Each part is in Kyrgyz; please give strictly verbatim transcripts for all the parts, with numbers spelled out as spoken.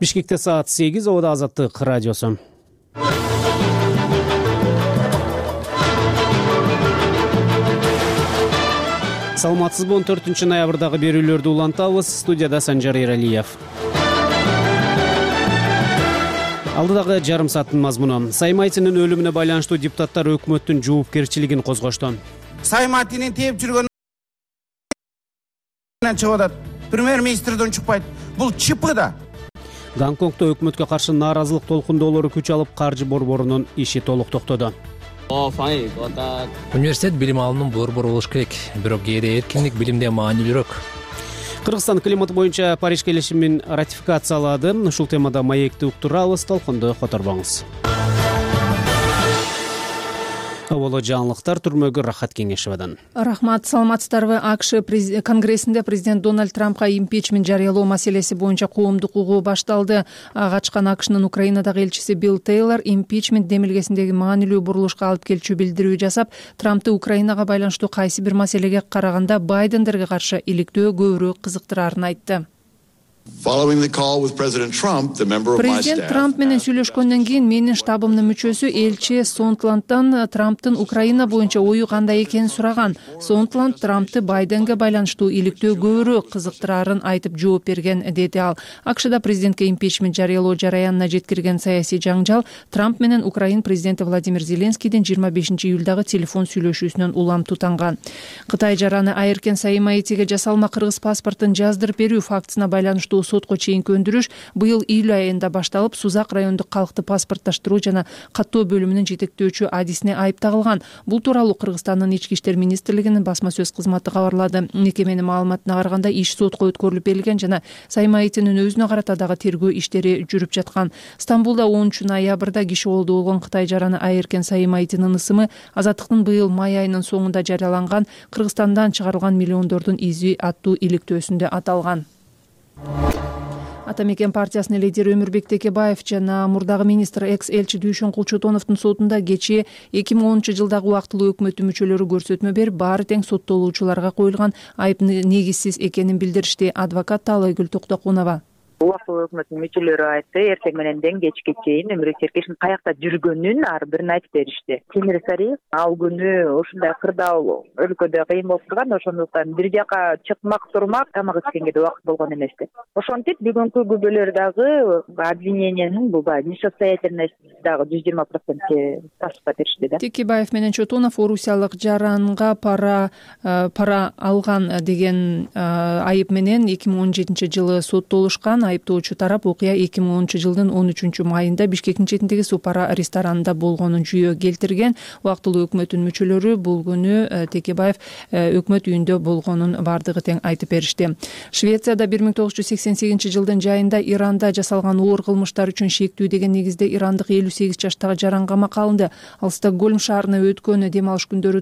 Бишкекте саат сегиз, Обода Азаттык радиосу. Саламатсызбы, он төртүнчү ноябрдагы берүүлөрдү улантабыз. Студияда Санжар Эралиев. Алдыдагы жарым сааттын мазмуну. Саймайтинин өлүмүнө байланыштуу депутаттар өкмөттүн жоопкерчилигин козгошту. Саймайтинин тээп жүргөн чыгып атат. Премьер-министрден чыкпайт. Бул чипы да. Гонконгдо өкмөткө каршы нааразылык толкундоолору күч алып, каржы борборунун иши толук токтоду. Университет билим алымын борбор болуш керек, бирок кээде эркиндик билимде маанилүүрөөк. Кыргызстан климат боюнча Париж келишимин ратификациялады. Ушул темада маекти уктурабыз, толкунду которбоңуз. Оболо жаңылыктар, түрмөгө Рахат Кеңешевадан. Рахмат, саламатсыздарбы? АКШ конгрессинде президент Дональд Трампка импичмент жарыялоо маселеси боюнча коомдук угуу башталды. Ачкан АКШнын Украинадагы элчиси Билл Тейлор импичмент демилгесиндеги маанилүү бурулушка алып келчү билдирүү жасап, Трампты Украинага байланыштуу кайсы бир маселеге караганда Байдендерге каршы иликтөө көбүрөөк кызыктырарын айтты. Президент Трамп менен сүйлөшкөндөн кийин менин штабымдын мүчөсү элчи Сонтландтан Трамптын Украина боюнча ою кандай экенин сураган. Сонтланд Трампты Байденге байланыштуу иликтөө көбүрөөк кызыктырарын айтып жооп берген, деди ал. АКШда президентке импичмент жарыялоо жараянына жеткирген саясий жаңжал Трамп менен Украин президенти Владимир Зеленскийдин жыйырма бешинчи июлдагы телефон сүйлөшүүсүнөн улам тутанган. Кытай жараны Айыркен Саймайтиге жасалма кыргыз паспортун жаздырып берүү фактысына байланыштуу сотко чейинки өндүрүш быйыл июль айында башталып, Сузак райондук калкты паспортташтыруу жана каттоо бөлүмүнүн жетектөөчү адисине айып тагылган. Бул тууралуу Кыргызстандын ички иштер министрлигинин басма сөз кызматы кабарлады. Мекеменин маалыматына караганда иш сотко өткөрүлүп берилген жана Саймайтинин өзүнө карата дагы тергөө иштери жүрүп жаткан. Стамбулда онунчу ноябрда киши колдо болгон Кытай жараны Айыркен Саймайтинин ысымы Азаттыктын быйыл май айынын соңунда жарыяланган Кыргызстандан чыгарылган миллиондордун изи аттуу иликтөөсүндө аталган. Ата мекен партиясынын лидери Өмүрбек Текебаев жана мурдагы министр экс-элчи Дүйшөн Кулчотоновдун сотунда кечээ эки миң онунчу жылдагы убактылуу өкмөттүн мүчөлөрү көрсөтмө берип, баары тең соттолуучуларга коюлган айып негизсиз экенин билдиришти. Адвокат Таалайгүл Токтокунова. Убактылуу өкмөттүн мүчөлөрү айтты, эртең мененден кечке чейин Өмүрбек Текебаевдин каякта жүргөнүн ар бирин айтып беришти. Темир Сариев ал күнү ушундай кырдаал өлкөдө кыйын болуп турган, ошондуктан бир жака чыкмак турмак тамак ичкенге да убакыт болгон эмес. Ошентип бүгүнкү күбөлөр дагы обвинениянын бул баягы несостоятельность дагы жүз жыйырма процентке ташып беришти да. Текебаев менен Чотонов орусиялык жаранга пара пара алган деген айып менен эки миң он жетинчи жылы соттолушкан. Айыптоочу тарап окуя эки миң онунчу жылдын он үчүнчү майында Бишкектин четиндеги Супара ресторанында болгонун жүйө келтирген. Убактылуу өкмөттүн мүчөлөрү бул күнү Текебаев өкмөт үйүндө болгонун бардыгы тең айтып беришти. Швецияда бир миң тогуз жүз сексен сегизинчи жылдын жайында Иранда жасалган оор кылмыштар үчүн шектүү деген негизде ирандык элүү сегиз жаштагы жаран камакка алынды. Ал Стокгольм шаарына өткөн дем алыш күндөрү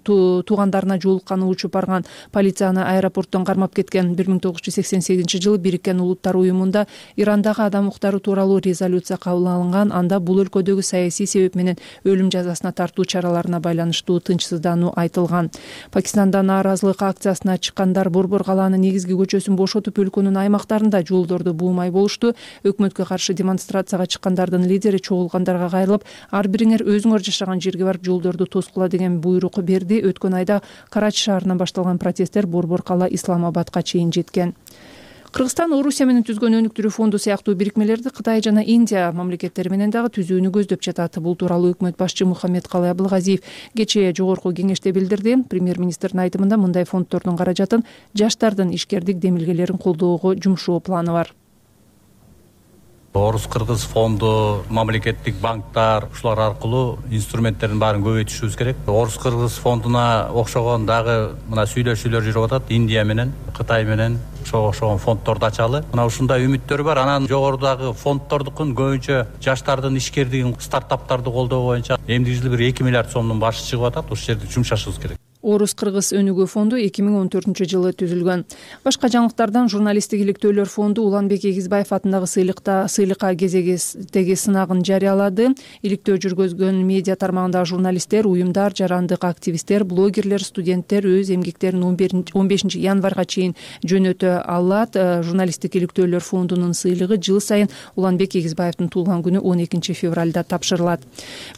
туугандарына жолукканы учуп барган. Полиция аны аэропорттон кармап кеткен. бир миң тогуз жүз сексен сегизинчи жылы Бириккен Улуттар уюмунда Ирандагы адам укуктары тууралуу резолюция кабыл алынган. Анда бул өлкөдөгү саясий себеп менен өлүм жазасына тартуу чараларына байланыштуу тынчсыздануу айтылган. Пакистанда нааразылык акциясына чыккандар Борбор калаанын негизги көчөсүн бошотуп, өлкөнүн аймактарында жолдорду буумай болушту. Өкмөткө каршы демонстрацияга чыккандардын лидери чогулгандарга кайрылып, ар бириңер өзүңөр жашаган жерге барып жолдорду тоскула деген буйрук берди. Өткөн айда Карачи шаарынан башталган протесттер Борбор кала Исламабадка чейин жеткен. Кыргызстан Орусия менен түзгөн өнүктүрүү фонду сыяктуу бирикмелерди Кытай жана Индия мамлекеттери менен дагы түзүүнү көздөп жатат. Бул тууралуу өкмөт башчы Мухаммедкалый Абылгазиев кечээ жогорку кеңеште билдирди. Премьер-министрдин айтымында мындай фонддордун каражатын жаштардын ишкердик демилгелерин колдоого жумшоо планы бар. Орус-Кыргыз фонду, мамлекеттик банктар, ушулар аркылуу инструменттердин баарын көбөйтүшүбүз керек. Орус-Кыргыз фондуна окшогон дагы мына сүйлөшүүлөр жүрүп атат Индия менен, Кытай менен ошого окшогон фонддорду ачалы. Мына ушундай үмүттөр бар. Анан жогорудагы фонддордукун көбүнчө жаштардын ишкердигин, стартаптарды колдоо боюнча эмдиги жылы бир эки миллиард сомдун башы чыгып атат. Ушул жерде жумшашыбыз керек. Орус-кыргыз өнүгүү фонду эки миң он төртүнчү жылы түзүлгөн. Башка жаңылыктардан журналисттик иликтөөлөр фонду Уланбек Эгизбаев атындагы сыйлыкта сыйлыкка кезегиздеги сынагын жарыялады. Иликтөө жүргүзгөн медиа тармагындагы журналисттер, уюмдар, жарандык активисттер, блогерлер, студенттер өз эмгектерин он бешинчи январга чейин жөнөтө алат. Журналисттик иликтөөлөр фондунун сыйлыгы жыл сайын Уланбек Эгизбаевдин туулган күнү он экинчи февралда тапшырылат.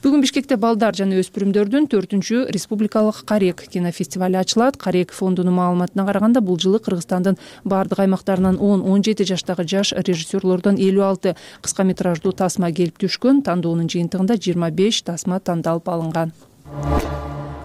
Бүгүн Бишкекте балдар жана өспүрүмдөрдүн төртүнчү республикалык Карек кинофестивали ачылат. Карек фондунун маалыматына караганда, бул жылы Кыргызстандын бардык аймактарынан он он жети жаштагы жаш режиссерлордон элүү алты кыска метраждуу тасма келип түшкөн. Тандоонун жыйынтыгында жыйырма беш тасма тандалып алынган.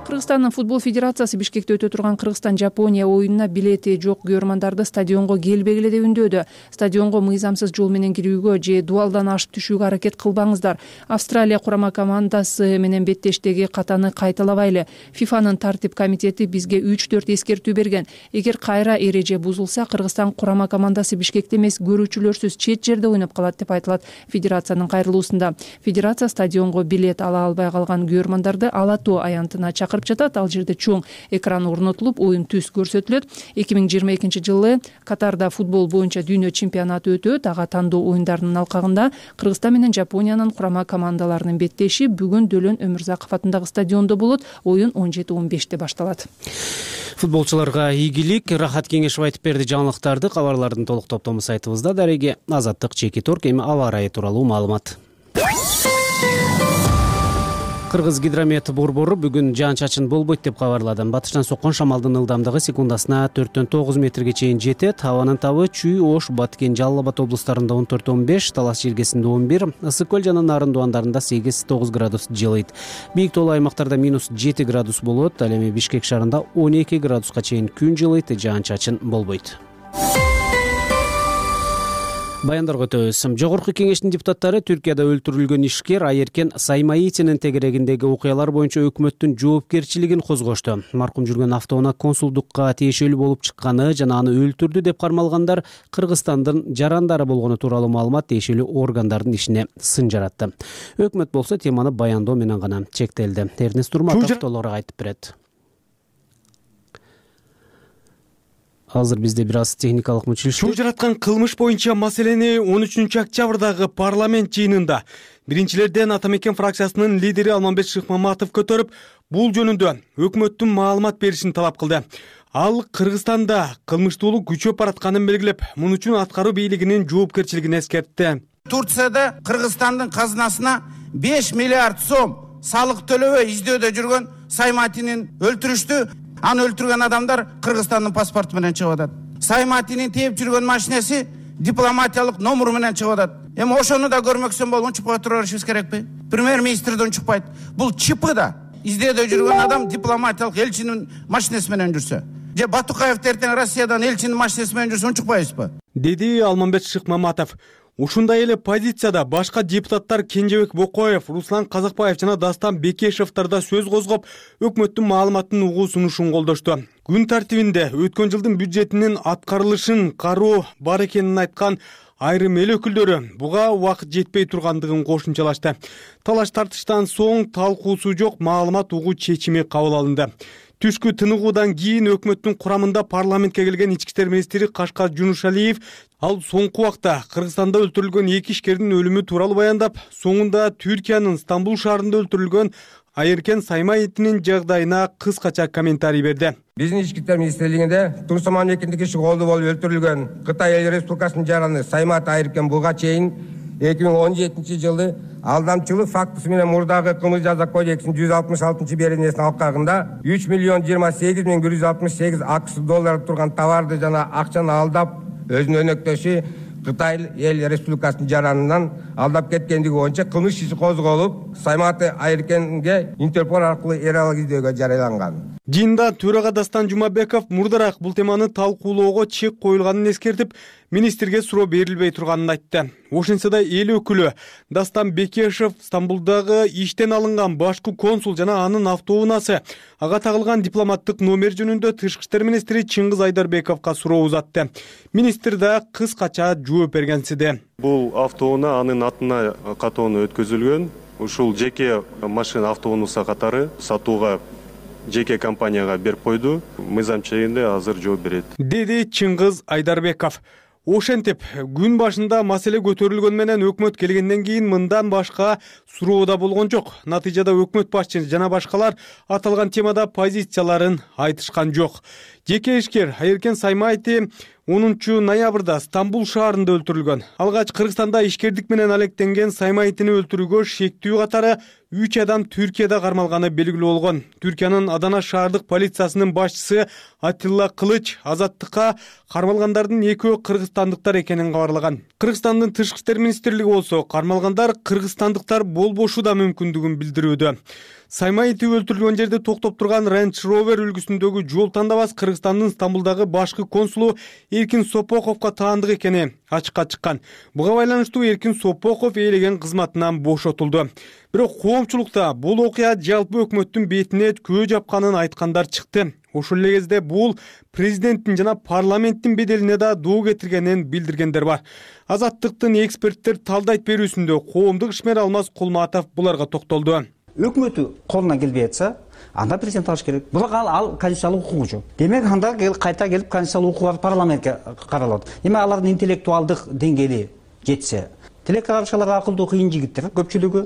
Кыргызстандын футбол федерациясы Бишкекте өтө турган Кыргызстан-Жапония оюнуна билети жок көрөрмандарды стадионго келбегиле деп үндөдү. Стадионго мыйзамсыз жол менен кирүүгө же дуалдан ашып түшүүгө аракет кылбаңыздар. Австралия курама командасы менен беттештеги катаны кайталабайлы. ФИФАнын тартип комитети бизге үч төрт эскертүү берген. Эгер кайра эреже бузулса, Кыргызстан курама командасы Бишкекте эмес, көрүүчүлөрсүз чет жерде ойноп калат деп айтылат федерациянын кайрылуусунда. Федерация стадионго билет ала албай калган көрөрмандарды Ала Тоо аянтына чакырып жатат. Ал жерде чоң экран орнотулуп, оюн түз көрсөтүлөт. эки миң жыйырма экинчи жылы Катарда футбол боюнча дүйнө чемпионаты өтөт. Ага тандоо оюндарынын алкагында Кыргызстан менен Жапониянын курама командаларынын беттеши бүгүн Дөлөн Өмүрзаков атындагы стадиондо болот. Оюн он жети он беште башталат. Футболчуларга ийгилик. Рахат Кеңешев айтып берди жаңылыктарды. Кабарлардын толук топтому сайтыбызда. Дареги Азаттык Чеки Торг. Эми аба ырайы тууралуу маалымат. Кыргыз гидромет борбору бүгүн жаан-чачын болбойт деп кабарлады. Батыштан соккон шамалдын ылдамдыгы секундасына төрттөн тогуз метрге чейин жетет. Абанын табы Чүй, Ош, Баткен, Жалал Абад облустарында он төрт он беш, Талас желгесинде он бир, Ысык көл жана Нарын дуандарында сегиз тогуз градус жылыйт. Бийик тоолуу аймактарда минус жети градус болот. Ал эми Бишкек шаарында он эки градуска чейин күн жылыйт, жаан-чачын болбойт. Баяндарга өтөбүз. Жогорку кеңештин депутаттары Түркияда өлтүрүлгөн ишкер Айеркен Саймаитинин тегерегиндеги окуялар боюнча өкмөттүн жоопкерчилигин козгошту. Маркум жүргөн автоунаа консулдукка тиешелүү болуп чыкканы жана аны өлтүрдү деп кармалгандар Кыргызстандын жарандары болгону тууралуу маалымат тиешелүү органдардын ишине сын жаратты. Өкмөт болсо теманы баяндоо менен гана чектелди. Эрнест Турматов толугураак айтып берет. Азыр бизде бир аз техникалык мүчүлүш. Чуу жараткан кылмыш боюнча маселени он үчүнчү октябрдагы парламент жыйынында биринчилерден Ата Мекен фракциясынын лидери Алмамбет Шыкмаматов көтөрүп, бул жөнүндө өкмөттүн маалымат беришин талап кылды. Ал Кыргызстанда кылмыштуулук күчөп баратканын белгилеп, муну үчүн аткаруу бийлигинин жоопкерчилигин эскертти. Турцияда Кыргызстандын казынасына беш миллиард сом салык төлөбөй издөөдө жүргөн Сайматинин өлтүрүштү. Аны өлтүргөн адамдар Кыргызстандын паспорту менен чыгып атат. Сайматинин тээп жүргөн машинеси дипломатиялык номеру менен чыгып атат. Эми ошону да көрмөксөн болуп унчукпай тура беришибиз керекпи? Премьер-министр да унчукпайт. Бул ЧИПы да издөөдө жүргөн адам дипломатиялык элчинин машинеси менен жүрсө, же Батукаев эртең Россиядан элчинин машинеси менен жүрсө унчукпайбызбы? Деди Алмамбет Шыкмаматов. Ушундай эле позицияда башка депутаттар Кенжебек Бокоев, Руслан Казакбаев жана Дастан Бекешевтер да сөз козгоп, өкмөттүн маалыматын угуу сунушун колдошту. Күн тартибинде өткөн жылдын бюджетинин аткарылышын кароо бар экенин айткан айрым эл өкүлдөрү буга убакыт жетпей тургандыгын кошумчалашты. Талаш тартыштан соң талкуусу жок маалымат угуу чечими кабыл алынды. Түшкү тыныгуудан кийин өкмөттүн курамында парламентке келген ички иштер министри Кашкар Жунушалиев ал соңку убакта Кыргызстанда өлтүрүлгөн эки ишкердин өлүмү тууралуу баяндап, соңунда Түркиянын Стамбул шаарында өлтүрүлгөн Айеркен Саймаитинин жагдайына кыскача комментарий берди. Биздин ички иштер министрлигинде Турсуман экиндик иши колду болуп өлтүрүлгөн Кытай Эл Республикасынын жараны Саймат Айеркен буга чейин эки миң он жетинчи жылы алдамчылык фактысы менен мурдагы кылмыш жаза кодексинин жүз алтымыш алтынчы беренесин алкагында үч миллион жыйырма сегиз миң бир жүз алтымыш сегиз акш доллар турган товарды жана акчаны алдап, өзүнүн өнөктөшү Кытай Эл Республикасынын жаранынан алдап кеткендиги боюнча кылмыш иши козголуп, Саймат Айеркенге Интерпол аркылуу эр алак издөөгө жарыяланган. Жыйында төрага Дастан Жумабеков мурдараак бул теманы талкуулоого чек коюлганын эскертип, министрге суроо берилбей турганын айтты. Ошентсе да эл өкүлү Дастан Бекешев Стамбулдагы иштен алынган башкы консул жана анын автоунаасы ага тагылган дипломаттык номер жөнүндө тышкы иштер министри Чыңгыз Айдарбековго суроо узатты. Министр да кыскача жооп бергенсиде. Бул автоунаа анын атына катоону өткөзүлгөн. Ушул жеке машина автоунуса катары сатууга жеке компанияга берип койду. Мыйзам чегинде азыр жооп берет, деди Чыңгыз Айдарбеков. Ошентип, күн башында маселе көтөрүлгөн менен өкмөт келгенден кийин мындан башка суроо да болгон жок. Натыйжада өкмөт башчысы жана башкалар аталган темада позицияларын айтышкан жок. Жеке ишкер Айыркен Саймайти онунчу ноябрда Стамбул шаарында өлтүрүлгөн. Алгач Кыргызстанда ишкердик менен алектенген Саймайтини өлтүрүүгө шектүү катары үч адам Түркияда кармалганы белгилүү болгон. Түркиянын Адана шаардык полициясынын башчысы Атилла Кылыч азаттыкка кармалгандардын экөө кыргызстандыктар экенин кабарлаган. Кыргызстандын тышкы иштер министрлиги болсо кармалгандар кыргызстандыктар болбошу да мүмкүндүгүн билдирүүдө. Саймайти өлтүрүлгөн жерде токтоп турган Range Rover үлгүсүндөгү жол тандабас Кыргызстандын Стамбулдагы башкы консулу Эркин Сопоковго таандык экени ачыкка чыккан. Буга байланыштуу Эркин Сопоков ээлеген кызматынан бошотулду. Бирок коомчулукта бул окуя жалпы өкмөттүн бетине көө жапканын айткандар чыкты. Ошол эле кезде бул президенттин жана парламенттин беделине да доо кетиргенин билдиргендер бар. Азаттыктын эксперттер талдайт берүүсүндө коомдук ишмер Алмаз Кулматов буларга токтолду. Өкмөтү колунан келбей атса, анда президент алыш керек. Бирок ал, ал конституциялык укугу жок. Демек анда кайта келип конституциялык укугар парламентке каралат. Эми алардын интеллектуалдык деңгээли жетсе, тилек карашалар акылдуу кыйын жигиттер көпчүлүгү.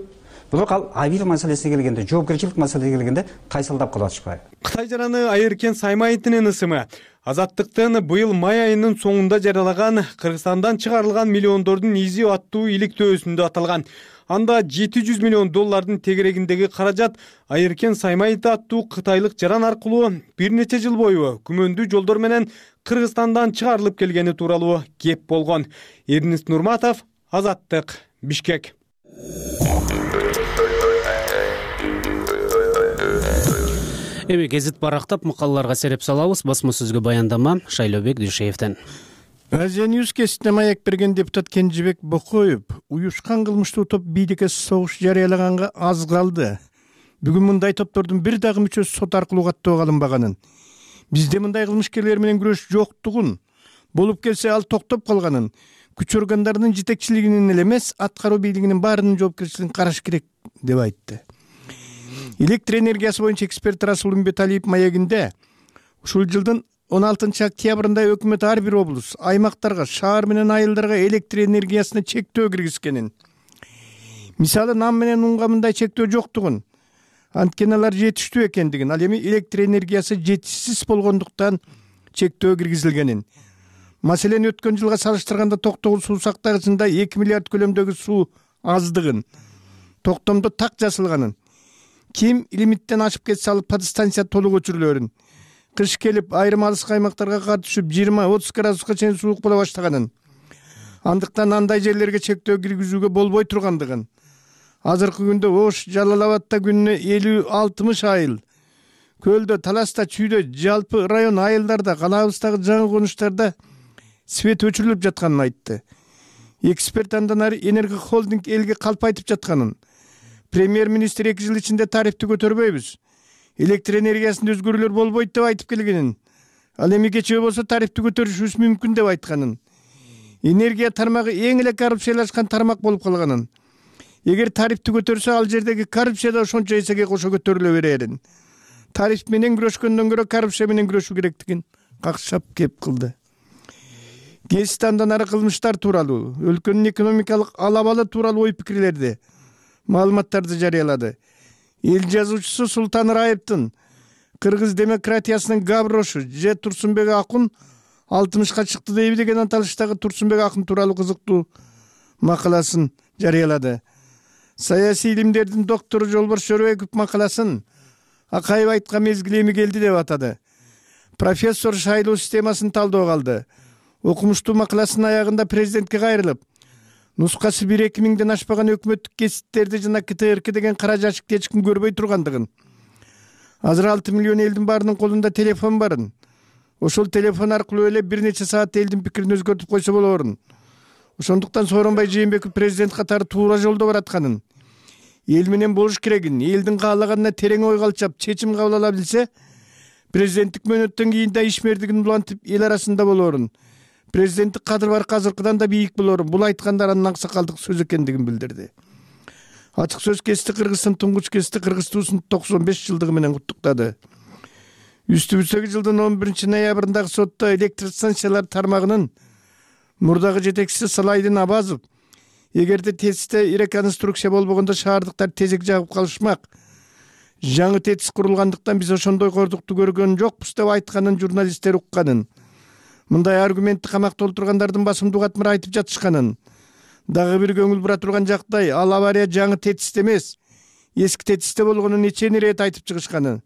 Бирок ал айбир маселесине келгенде, жоопкерчилик маселесине келгенде кайсылдап калып атышпайбы. Кытай жараны Айыркен Саймайтинин ысымы Азаттыктын быйыл май айынын соңунда жарыялаган Кыргызстандан чыгарылган миллиондордун изи аттуу иликтөөсүндө аталган. Анда жети жүз миллион доллардын тегерегиндеги каражат Айыркен Саймайти аттуу кытайлык жаран аркылуу бир нече жыл бою күмөндүү жолдор менен Кыргызстандан чыгарылып келгени тууралуу кеп болгон. Эрнист Нурматов, Азаттык, Бишкек. Эми гезит барактап макалаларга сереп салабыз. Басма сөзгө баяндама Шайлообек Дүйшеевден. Азия Ньюс кесине маек берген депутат Кенжебек Бокоев уюшкан кылмыштуу топ бийликке согуш жарыялаганга аз калды. Бүгүн мындай топтордун бир дагы мүчөсү сот аркылуу каттоого алынбаганын, бизде мындай кылмышкерлер менен күрөш жоктугун, болуп келсе ал токтоп калганын, күч органдарынын жетекчилигинин эле эмес, аткаруу бийлигинин баарынын жоопкерчилигин караш керек деп айтты. Электр энергиясы боюнча эксперт Расул Умбеталиев маегинде ушул жылдын он алтынчы октябрында өкмөт ар бир облус, аймактарга, шаар менен айылдарга электр энергиясына чектөө киргизгенин, мисалы нам менен унга мындай чектөө жоктугун, анткени алар жетиштүү экендигин, ал эми электр энергиясы жетишсиз болгондуктан чектөө киргизилгенин, маселен өткөн жылга салыштырганда Токтогул суу сактагычында эки миллиард көлөмдөгү суу аздыгын, токтомдо так жасалганын, ким лимиттен ашып кетсе ал подстанция толук өчүрүлөрүн, кыш келип айрым алыс аймактарга кар түшүп жыйырма отуз градуска чейин суук боло баштаганын, андыктан андай жерлерге чектөө киргизүүгө болбой тургандыгын, азыркы күндө Ош, Жалал Абадта күнүнө элүү алтымыш айыл, Көлдө, Таласта, Чүйдө, жалпы район айылдарда, калаабыздагы жаңы конуштарда свет өчүрүлүп жатканын айтты. Эксперт андан ары Энерго холдинг элге калпайтып жатканын, премьер-министр эки жыл ичинде тарифти көтөрбөйбүз, электр энергиясында өзгөрүүлөр болбойт деп айтып келгенин, ал эми кечээ болсо тарифти көтөрүшүбүз мүмкүн деп айтканын, энергия тармагы эң эле коррупциялашкан тармак болуп калганын, эгер тарифти көтөрсө ал жердеги коррупция да ошончо эсеге кошо көтөрүлө берерин, тариф менен күрөшкөндөн көрө коррупция менен күрөшүү керектигин какшап кеп кылды. Гезит андан ары кылмыштар тууралуу, өлкөнүн экономикалык алабалы тууралуу ой пикирлерди, маалыматтарды жарыялады. Эл жазуучусу Султан Раевдин кыргыз демократиясынын габрошу же Турсунбек Акун алтымышка чыкты дейби деген аталыштагы Турсунбек Акун тууралуу кызыктуу макаласын жарыялады. Саясий илимдердин доктору Жолборс Жоробеков макаласын Акаев айткан мезгил эми келди деп атады. Профессор шайлоо системасын талдоого алды. Окумуштуу макаласынын аягында президентке кайрылып, нускасы бир эки миңден ашпаган өкмөттүк кесиптерди жана КТРК деген кара жашыкты эч ким көрбөй тургандыгын, азыр алты миллион элдин баарынын колунда телефон барын, ошол телефон аркылуу эле бир нече саат элдин пикирин өзгөртүп койсо болоорун, ошондуктан Сооронбай Жээнбеков президент катары туура жолдо баратканын, эл менен болуш керегин, элдин каалаганына терең ой калчап чечим кабыл ала билсе, президенттик мөөнөттөн кийин да ишмердигин улантып эл арасында болоорун, президенттик кадыр бар азыркыдан да бийик болоорун, бул айткандар анын аксакалдык сөз экендигин билдирди. Ачык сөз кести Кыргыздын туңгуч кести Кыргыз туусун токсон беш жылдыгы менен куттуктады. үстүбүздөгү жылдын он биринчи ноябрындагы сотто электр станциялар тармагынын мурдагы жетекчиси Салайдин Абазов эгерде тесте реконструкция болбогондо шаардыктар тезек жагып калышмак, жаңы тетис курулгандыктан биз ошондой кордукту көргөн жокпуз деп айтканын журналисттер укканын, мындай аргументти камакта отургандардын басымдуу катмары айтып жатышканын, дагы бир көңүл бура турган жактай ал авария жаңы тетисте эмес, эски тетисте болгонун нече ирет айтып чыгышканын.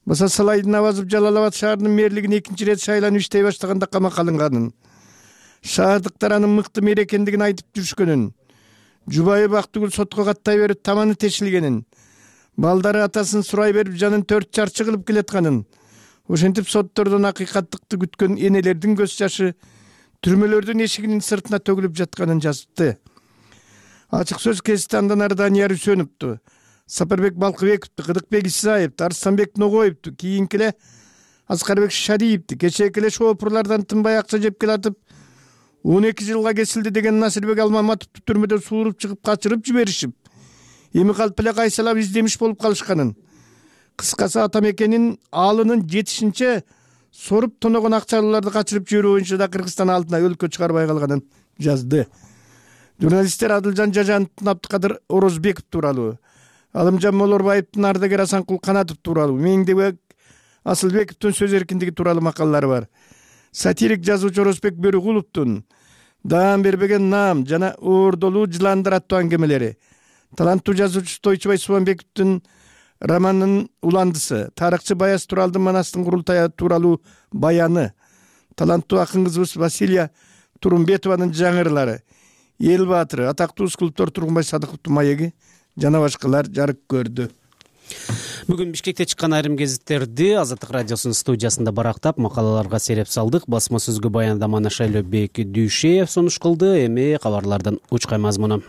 Баса Салайдин Абазов Жалал Абад шаарынын мэрлигине экинчи ирет шайланып иштей баштаганда камакка алынганын, шаардыктар анын мыкты мэр экендигин айтып жүрүшкөнүн, жубайы Бактыгүл сотко каттай берип таманы тешилгенин, балдары атасын сурай берип жанын төрт чарчы кылып келатканын, ошентип соттордон акыйкаттыкты күткөн энелердин көз жашы түрмөлөрдүн эшигинин сыртына төгүлүп жатканын жазыпты. Ачык сөз кесипти андан ары Данияр Үсөновду, Сапарбек Балкыбековду, Кыдыкбек Исаевду, Арыстанбек Ногоевду, кийинки эле Аскарбек Шариевди, кечээки эле шоопурлардан тынбай акча жеп келатып он эки жылга кесилди деген Насирбек Алмаматовду түрмөдөн сууруп чыгып качырып жиберишип, эми калп эле кайсалап издемиш болуп калышканын. Кыскасы ата мекенин алынын жетишинче соруп тоногон акчалууларды качырып жиберүү боюнча да Кыргызстан алдына өлкө чыгарбай калганын жазды. Журналисттер Адылжан Жажановдун, Абдыкадыр Орозбеков тууралуу, Алымжан Молорбаевдин, Ардагер Асанкул Канатов тууралуу, Меңдебек Асылбековдун сөз эркиндиги тууралуу макалалары бар. Сатирик жазуучу Орозбек Бөрүгуловдун Даам бербеген наам жана Оордолуу жыландар аттуу аңгемелери, таланттуу жазуучу Тойчубай Субанбековдун романынын уландысы, тарыхчы Баяз Туралдын Манастын курултайы тууралуу баяны, таланттуу акын кызыбыз Василия Турумбетованын жаңырлары, Эл баатыры, атактуу скульптор Тургунбай Садыковдун маеги жана башкалар жарык көрдү. Бүгүн Бишкекте чыккан айрым гезиттерди Азаттык радиосунун студиясында барактап, макалаларга сереп салдык. Басма сөзгө баяндаманы Шайлообек Дүйшеев сунуш кылды. Эми кабарлардын учкай мазмуну.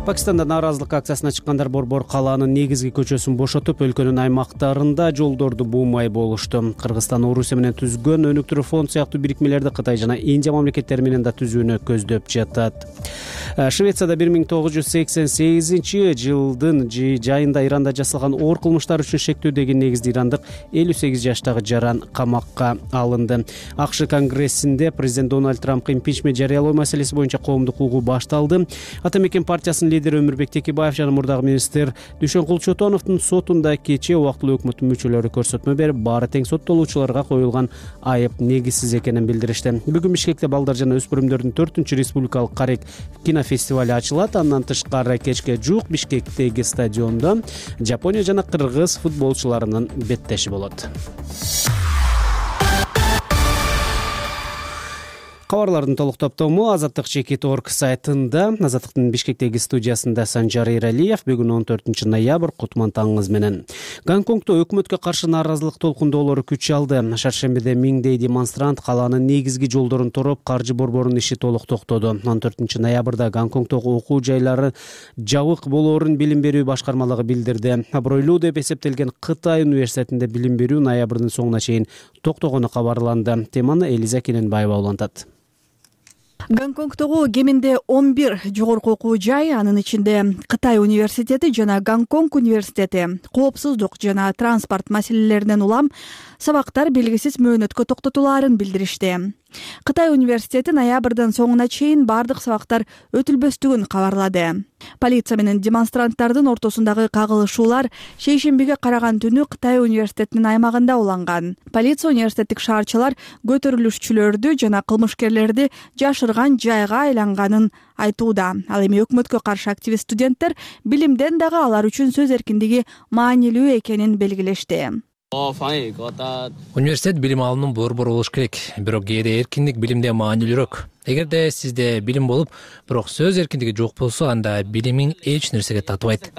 Пакистанда нааразылык акциясына чыккандар Борбор калаанын негизги көчөсүн бошотуп, өлкөнүн аймактарында жолдорду буумай болушту. Кыргызстан Орусия менен түзгөн өнүктүрүү фонд сыяктуу бирикмелерди Кытай жана Индия мамлекеттери менен да түзүүнү көздөп жатат. Швецияда бир миң тогуз жүз сексен сегизинчи жылдын жайында Иранда жасалган оор кылмыштар үчүн шектөө деген негизде ирандык элүү сегиз жаштагы жаран камакка алынды. АКШ конгрессинде президент Дональд Трампка импичмент жарыялоо маселеси боюнча коомдук угуу башталды. Ата мекен партиясынын лидери Өмүрбек Текебаев жана мурдагы министр Дүйшөнкул Чотоновдун сотунда кечээ убактылуу өкмөттүн мүчөлөрү көрсөтмө берип, баары тең соттолуучуларга коюлган айып негизсиз экенин билдиришти. Бүгүн Бишкекте балдар жана өспүрүмдөрдүн төртүнчү республикалык карек кинофестивали ачылат. Андан тышкары кечке жуук Бишкектеги стадиондо Жапония жана Кыргыз футболчуларынын беттеши болот. Кабарлардын толук топтому Азаттык чекит точка орг сайтында. Азаттыктын Бишкектеги студиясында Санжар Иралиев. Бүгүн он төртүнчү ноябрь, кутман таңыңыз менен. Гонконгдо өкмөткө каршы нааразылык толкундоолору күч алды. Шаршембиде миңдей демонстрант калаанын негизги жолдорун тороп, каржы борборунун иши толук токтоду. он төртүнчү ноябрда Гонконгдогу окуу жайлары жабык болоорун билим берүү башкармалыгы билдирди. Абройлуу деп эсептелген Кытай университетинде билим берүү ноябрдын соңуна чейин токтогону кабарланды. Теманы Элиза Кененбаева улантат. Гонконгдогу кеминде он бир жогорку окуу жай, анын ичинде Кытай университети жана Гонконг университети коопсуздук жана транспорт маселелеринен улам сабактар белгисиз мөөнөткө токтотулаарын билдиришти. Кытай университети ноябрдын соңуна чейин бардык сабактар өтүлбөстүгүн кабарлады. Полиция менен демонстранттардын ортосундагы кагылышуулар шейшембиге караган түнү Кытай университетинин аймагында уланган. Полиция университеттик шаарчылар көтөрүлүшчүлөрдү жана кылмышкерлерди жашырган жайга айланганын айтууда. Ал эми өкмөткө каршы активист студенттер билимден дагы алар үчүн сөз эркиндиги маанилүү экенин белгилешти. Университет билим алуунун борбору болуш керек, бирок кээде эркиндик билимден маанилүүрөөк. Эгерде сизде билим болуп, бирок сөз эркиндиги жок болсо, анда билимиң эч нерсеге татыбайт.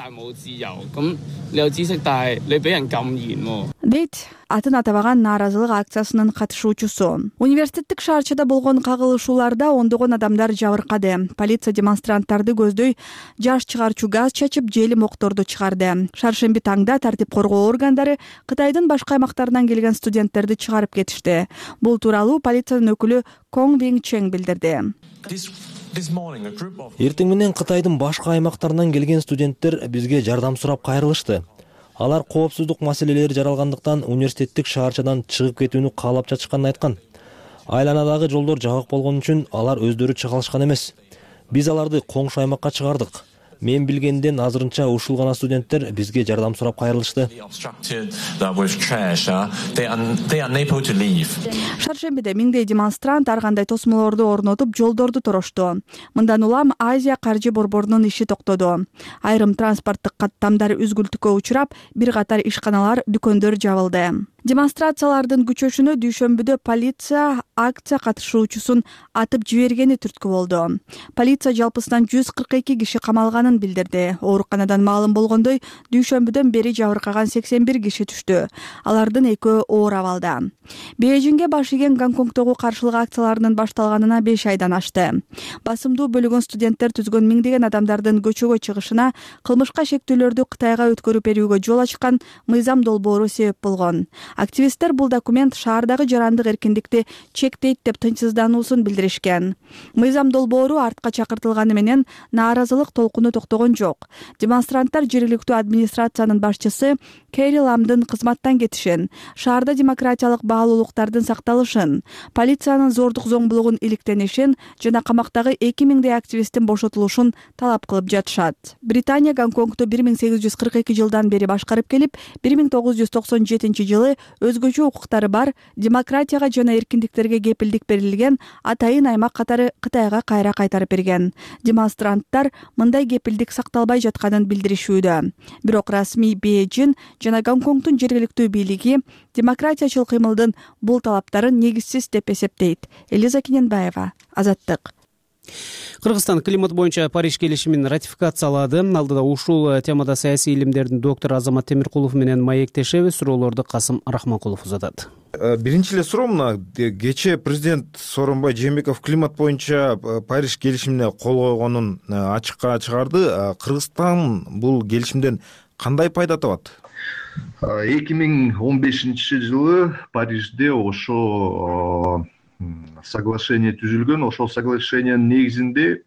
Дейт атын атабаган нааразылык акциясынын катышуучусу. Университеттик шаарчада болгон кагылышууларда ондогон адамдар жабыркады. Полиция демонстранттарды көздөй жаш чыгарчу газ чачып, желим окторду чыгарды. Шаршемби таңда тартип коргоо органдары Кытайдын башка аймактарынан келген студенттерди чыгарып кетишти. Бул тууралуу полициянын өкүлү Конг Вин Чен билдирди. Эртең менен Кытайдын башка аймактарынан келген студенттер бизге жардам сурап кайрылышты. Алар коопсуздук маселелери жаралгандыктан университеттик шаарчадан чыгып кетүүнү каалап жатышканын айткан. Айланадагы жолдор жабык болгон үчүн алар өздөрү чыга алышкан эмес. Биз аларды коңшу аймакка чыгардык. Мен билгенден азырынча ушул гана студенттер бизге жардам сурап кайрылышты. Шаршембиде миңдей демонстрант ар кандай тосмолорду орнотуп жолдорду торошту. Мындан улам Азия каржы борборунун иши токтоду. Айрым транспорттук каттамдар үзгүлтүккө учурап, бир катар ишканалар, дүкөндөр жабылды. Демонстрациялардын күчөшүнө дүйшөмбүдө полиция акция катышуучусун атып жибергени түрткү болду. Полиция жалпысынан жүз кырк эки киши камалганын билдирди. Ооруканадан маалым болгондой, дүйшөмбүдөн бери жабыркаган сексен бир киши түштү. Алардын экөө оор абалда. Бейжиңге баш ийген Гонконгдогу каршылык акцияларынын башталганына беш айдан ашты. Басымдуу бөлүгүн студенттер түзгөн миңдеген адамдардын көчөгө чыгышына кылмышка шектүүлөрдү Кытайга өткөрүп берүүгө жол ачкан мыйзам долбоору себеп болгон. Активисттер бул документ шаардагы жарандык эркиндикти чектейт деп тынчсыздануусун билдиришкен. Мыйзам долбоору артка чакыртылганы менен нааразылык толкуну токтогон жок. Демонстранттар жергиликтүү администрациянын башчысы Кэри Ламдын кызматтан кетишин, шаарда демократиялык баалуулуктардын сакталышын, полициянын зордук зомбулугун иликтенишин жана камактагы эки миңдей активисттин бошотулушун талап кылып жатышат. Британия Гонконгду бир миң сегиз жүз кырк эки жылдан бери башкарып келип, бир миң тогуз жүз токсон жетинчи жылы өзгөчө укуктары бар, демократияга жана эркиндиктерге кепилдик берилген атайын аймак катары Кытайга кайра кайтарып берген. Демонстранттар мындай кепилдик сакталбай жатканын билдиришүүдө. Бирок расмий Бейжиң жана Гонконгдун жергиликтүү бийлиги демократиячыл кыймылдын бул талаптарын негизсиз деп эсептейт. Элиза Кененбаева, Азаттык. Кыргызстан климат боюнча Париж келишимин ратификациялады. Алдыда ушул темада саясий илимдердин доктору Азамат Темиркулов менен маектешебиз. Суроолорду Касым Рахманкулов узатат. Биринчи эле суроо мына, кечээ президент Сооронбай Жээнбеков климат боюнча Париж келишимине кол койгонун ачыкка чыгарды. Кыргызстан бул келишимден кандай пайда табат? эки миң он бешинчи жылы Парижде ошо соглашение түзүлгөн. Ошол соглашениянын негизинде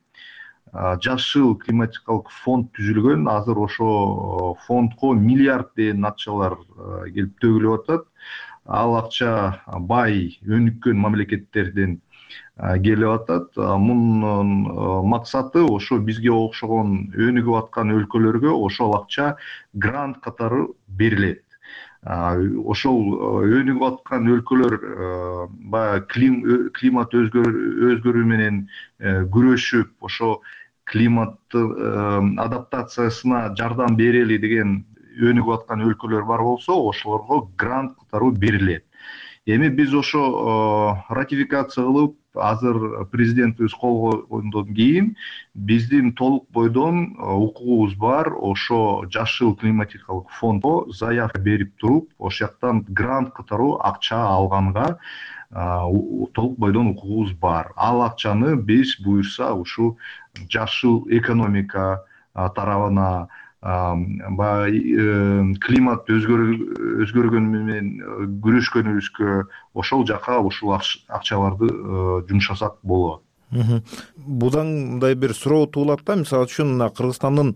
жашыл климатикалык фонд түзүлгөн. Азыр ошо фондко миллиард деген акчалар келип төгүлүп атат. Ал акча бай, өнүккөн мамлекеттерден келип атат. Мунун максаты ошо бизге окшогон өнүгүп аткан өлкөлөргө ошол акча грант катары берилет. Ошол өнүгүп аткан өлкөлөр баягы климат өзгөрүү менен күрөшүп, ошо климаттын адаптациясына жардам берели деген өнүгүп аткан өлкөлөр бар болсо, ошолорго грант катары берилет. Эми биз ошо ратификация кылып, азыр президентибиз кол койгондон кийин биздин толук бойдон укугубуз бар. Ошо жашыл климатикалык фондко заявка берип туруп, ошол жактан грант катары акча алганга толук бойдон укугубуз бар. Ал акчаны биз буюрса ушу жашыл экономика тарабына, климат өзгөргөнү менен күрөшкөнүбүзгө ошол жака ушул акчаларды жумшасак болот. Будан мындай бир суроо туулат да, мисалы үчүн мына Кыргызстандын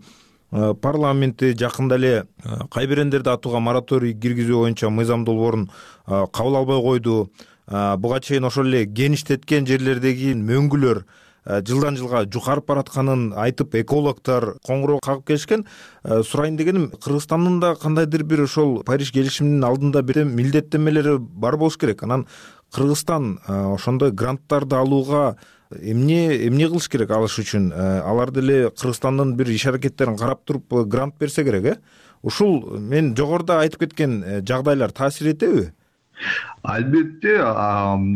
парламенти жакында эле кайберендерди атууга мораторий киргизүү боюнча мыйзам долбоорун кабыл албай койду. Буга чейин ошол эле кеништеткен жерлердеги мөңгүлөр жылдан жылга жукарып баратканын айтып, экологдор коңгуроо кагып келишкен. Сурайын дегеним, Кыргызстандын да кандайдыр бир ошол Париж келишиминин алдында бир милдеттенмелери бар болуш керек. Анан Кыргызстан ошондой гранттарды алууга эмне эмне кылыш керек алыш үчүн? Алар деле Кыргызстандын бир иш аракеттерин карап туруп грант берсе керек, э? Ушул мен жогоруда айтып кеткен жагдайлар таасир этеби? Албетте,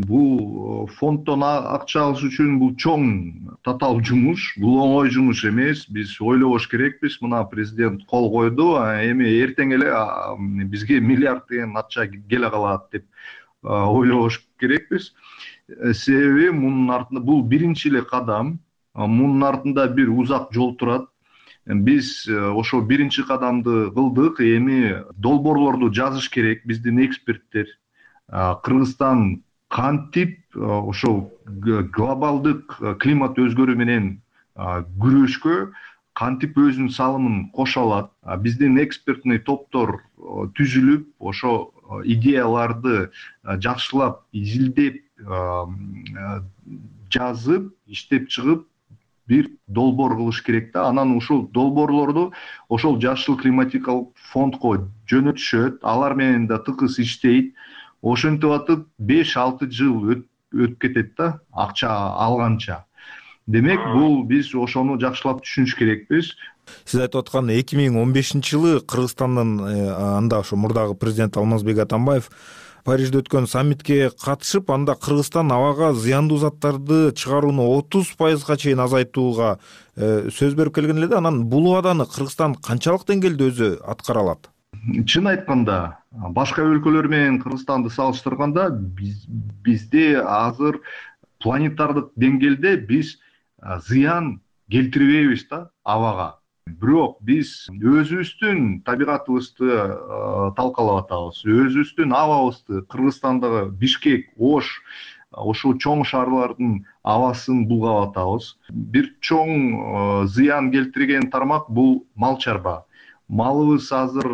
бул фонддон акча алыш үчүн бул чоң татаал жумуш, бул оңой жумуш эмес. Биз ойлобош керекпиз. Мына президент кол койду, эми эртең эле бизге миллиард деген акча келе калат деп ойлобош керекпиз. Себеби мунун артында бул биринчи эле кадам, мунун артында бир узак жол турат. Биз ошо биринчи кадамды кылдык, эми долбоорлорду жазыш керек биздин эксперттер. Кыргызстан кантип ошол глобалдык климат өзгөрүү менен күрөшкө кантип өзүнүн салымын кошо алат. Биздин экспертный топтор түзүлүп, ошо идеяларды жакшылап изилдеп жазып, иштеп чыгып бир долбоор кылыш керек да. Анан ушул долбоорлорду ошол жашыл климатикалык фондко жөнөтүшөт, алар менен да тыкыз иштейт. Ошентип атып беш алты жыл өтүп кетет да, акча алганча. Демек, бул биз ошону жакшылап түшүнүш керекпиз. Сиз айтып аткан эки миң он бешинчи жылы Кыргызстандын анда ошо мурдагы президент Алмазбек Атамбаев Парижде өткөн саммитке катышып, анда Кыргызстан абага зыяндуу заттарды чыгарууну отуз пайызга чейин азайтууга сөз берип келген эле да. Анан бул убаданы Кыргызстан канчалык деңгээлде өзү аткара алат? Чын айтканда, башка өлкөлөр менен Кыргызстанды салыштырганда бизде азыр планетардык деңгээлде биз зыян келтирбейбиз да абага. Бирок биз өзүбүздүн табигатыбызды талкалап атабыз, өзүбүздүн абабызды, Кыргызстандагы Бишкек, Ош, ошол чоң шаарлардын абасын булгап атабыз. Бир чоң зыян келтирген тармак бул мал чарба. Малыбыз азыр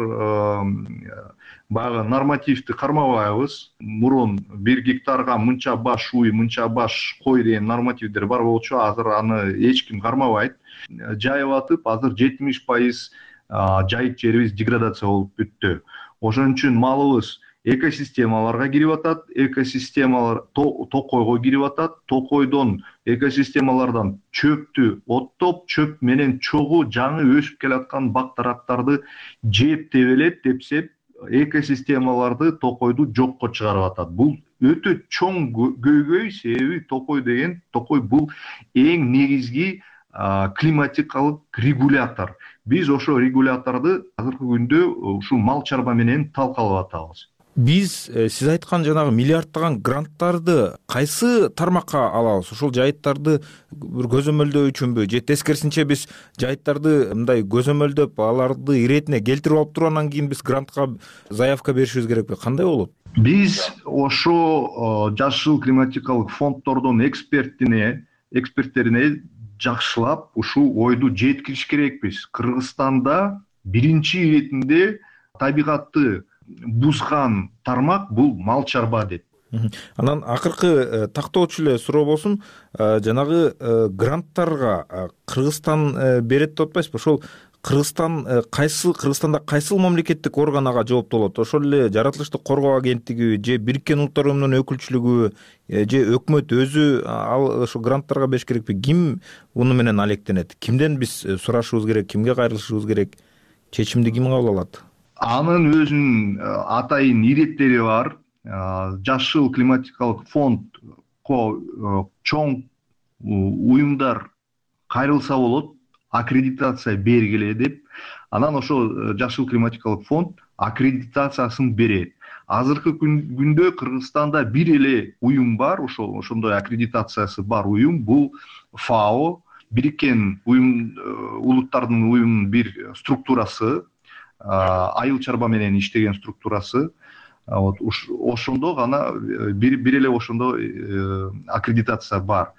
баягы нормативди кармабайбыз. Мурун бир гектарга мынча баш уй, мынча баш кой деген нормативдер бар болчу, азыр аны эч ким кармабайт. Жайып атып, азыр жетимиш пайыз жайык жерибиз деградация болуп бүттү. Ошон үчүн малыбыз экосистемаларга кирип атат, экосистемалар токойго кирип атат, токойдон экосистемалардан чөптү оттоп, чөп менен чогуу жаңы өсүп келаткан бак дарактарды жеп тебелеп, тепсеп, экосистемаларды, токойду жокко чыгарып атат. Бул өтө чоң көйгөй, себеби токой деген, токой бул эң негизги климатикалык регулятор. Биз ошо регуляторду азыркы күндө ушул мал чарба менен талкалап атабыз. Биз сиз айткан жанагы миллиардтаган гранттарды кайсы тармакка алабыз? Ошол жайыттарды бир көзөмөлдөө үчүнбү же тескерисинче биз жайыттарды мындай көзөмөлдөп, аларды иретине келтирип алып туруп, анан кийин биз грантка заявка беришибиз керекпи? Кандай болот? Биз ошо жашыл климатикалык фонддордун экспертине, эксперттерине жакшылап ушул ойду жеткириш керекпиз. Кыргызстанда биринчи иретинде табигатты бузган тармак бул мал чарба деп. Анан акыркы тактоочу эле суроо болсун, жанагы гранттарга Кыргызстан берет деп атпайсызбы? Ошол Кыргызстан кайсы Кыргызстанда кайсыл мамлекеттик орган ага жооптуу болот? Ошол эле Жаратылышты коргоо агенттиги же Бириккен Улуттар Уюмунун өкүлчүлүгү же өкмөт өзү ал ошо гранттарга бериш керекпи? Ким уну менен алектенет? Кимден биз сурашыбыз керек? Кимге кайрылышыбыз керек? Чечимди ким кабыл алат? Анын өзүнүн атайын иреттери бар. Жашыл климатикалык фондко чоң уюмдар кайрылса болот, аккредитация бергиле деп. Анан ошо жашыл климатикалык фонд аккредитациясын берет. Азыркы күндө Кыргызстанда бир эле уюм бар, ошол ошондой аккредитациясы бар уюм, бул ФАО, Бириккен Улуттардын уюмунун бир структурасы, айыл чарба менен иштеген структурасы. Вот ошондо гана бир бир эле ошондо аккредитация бар.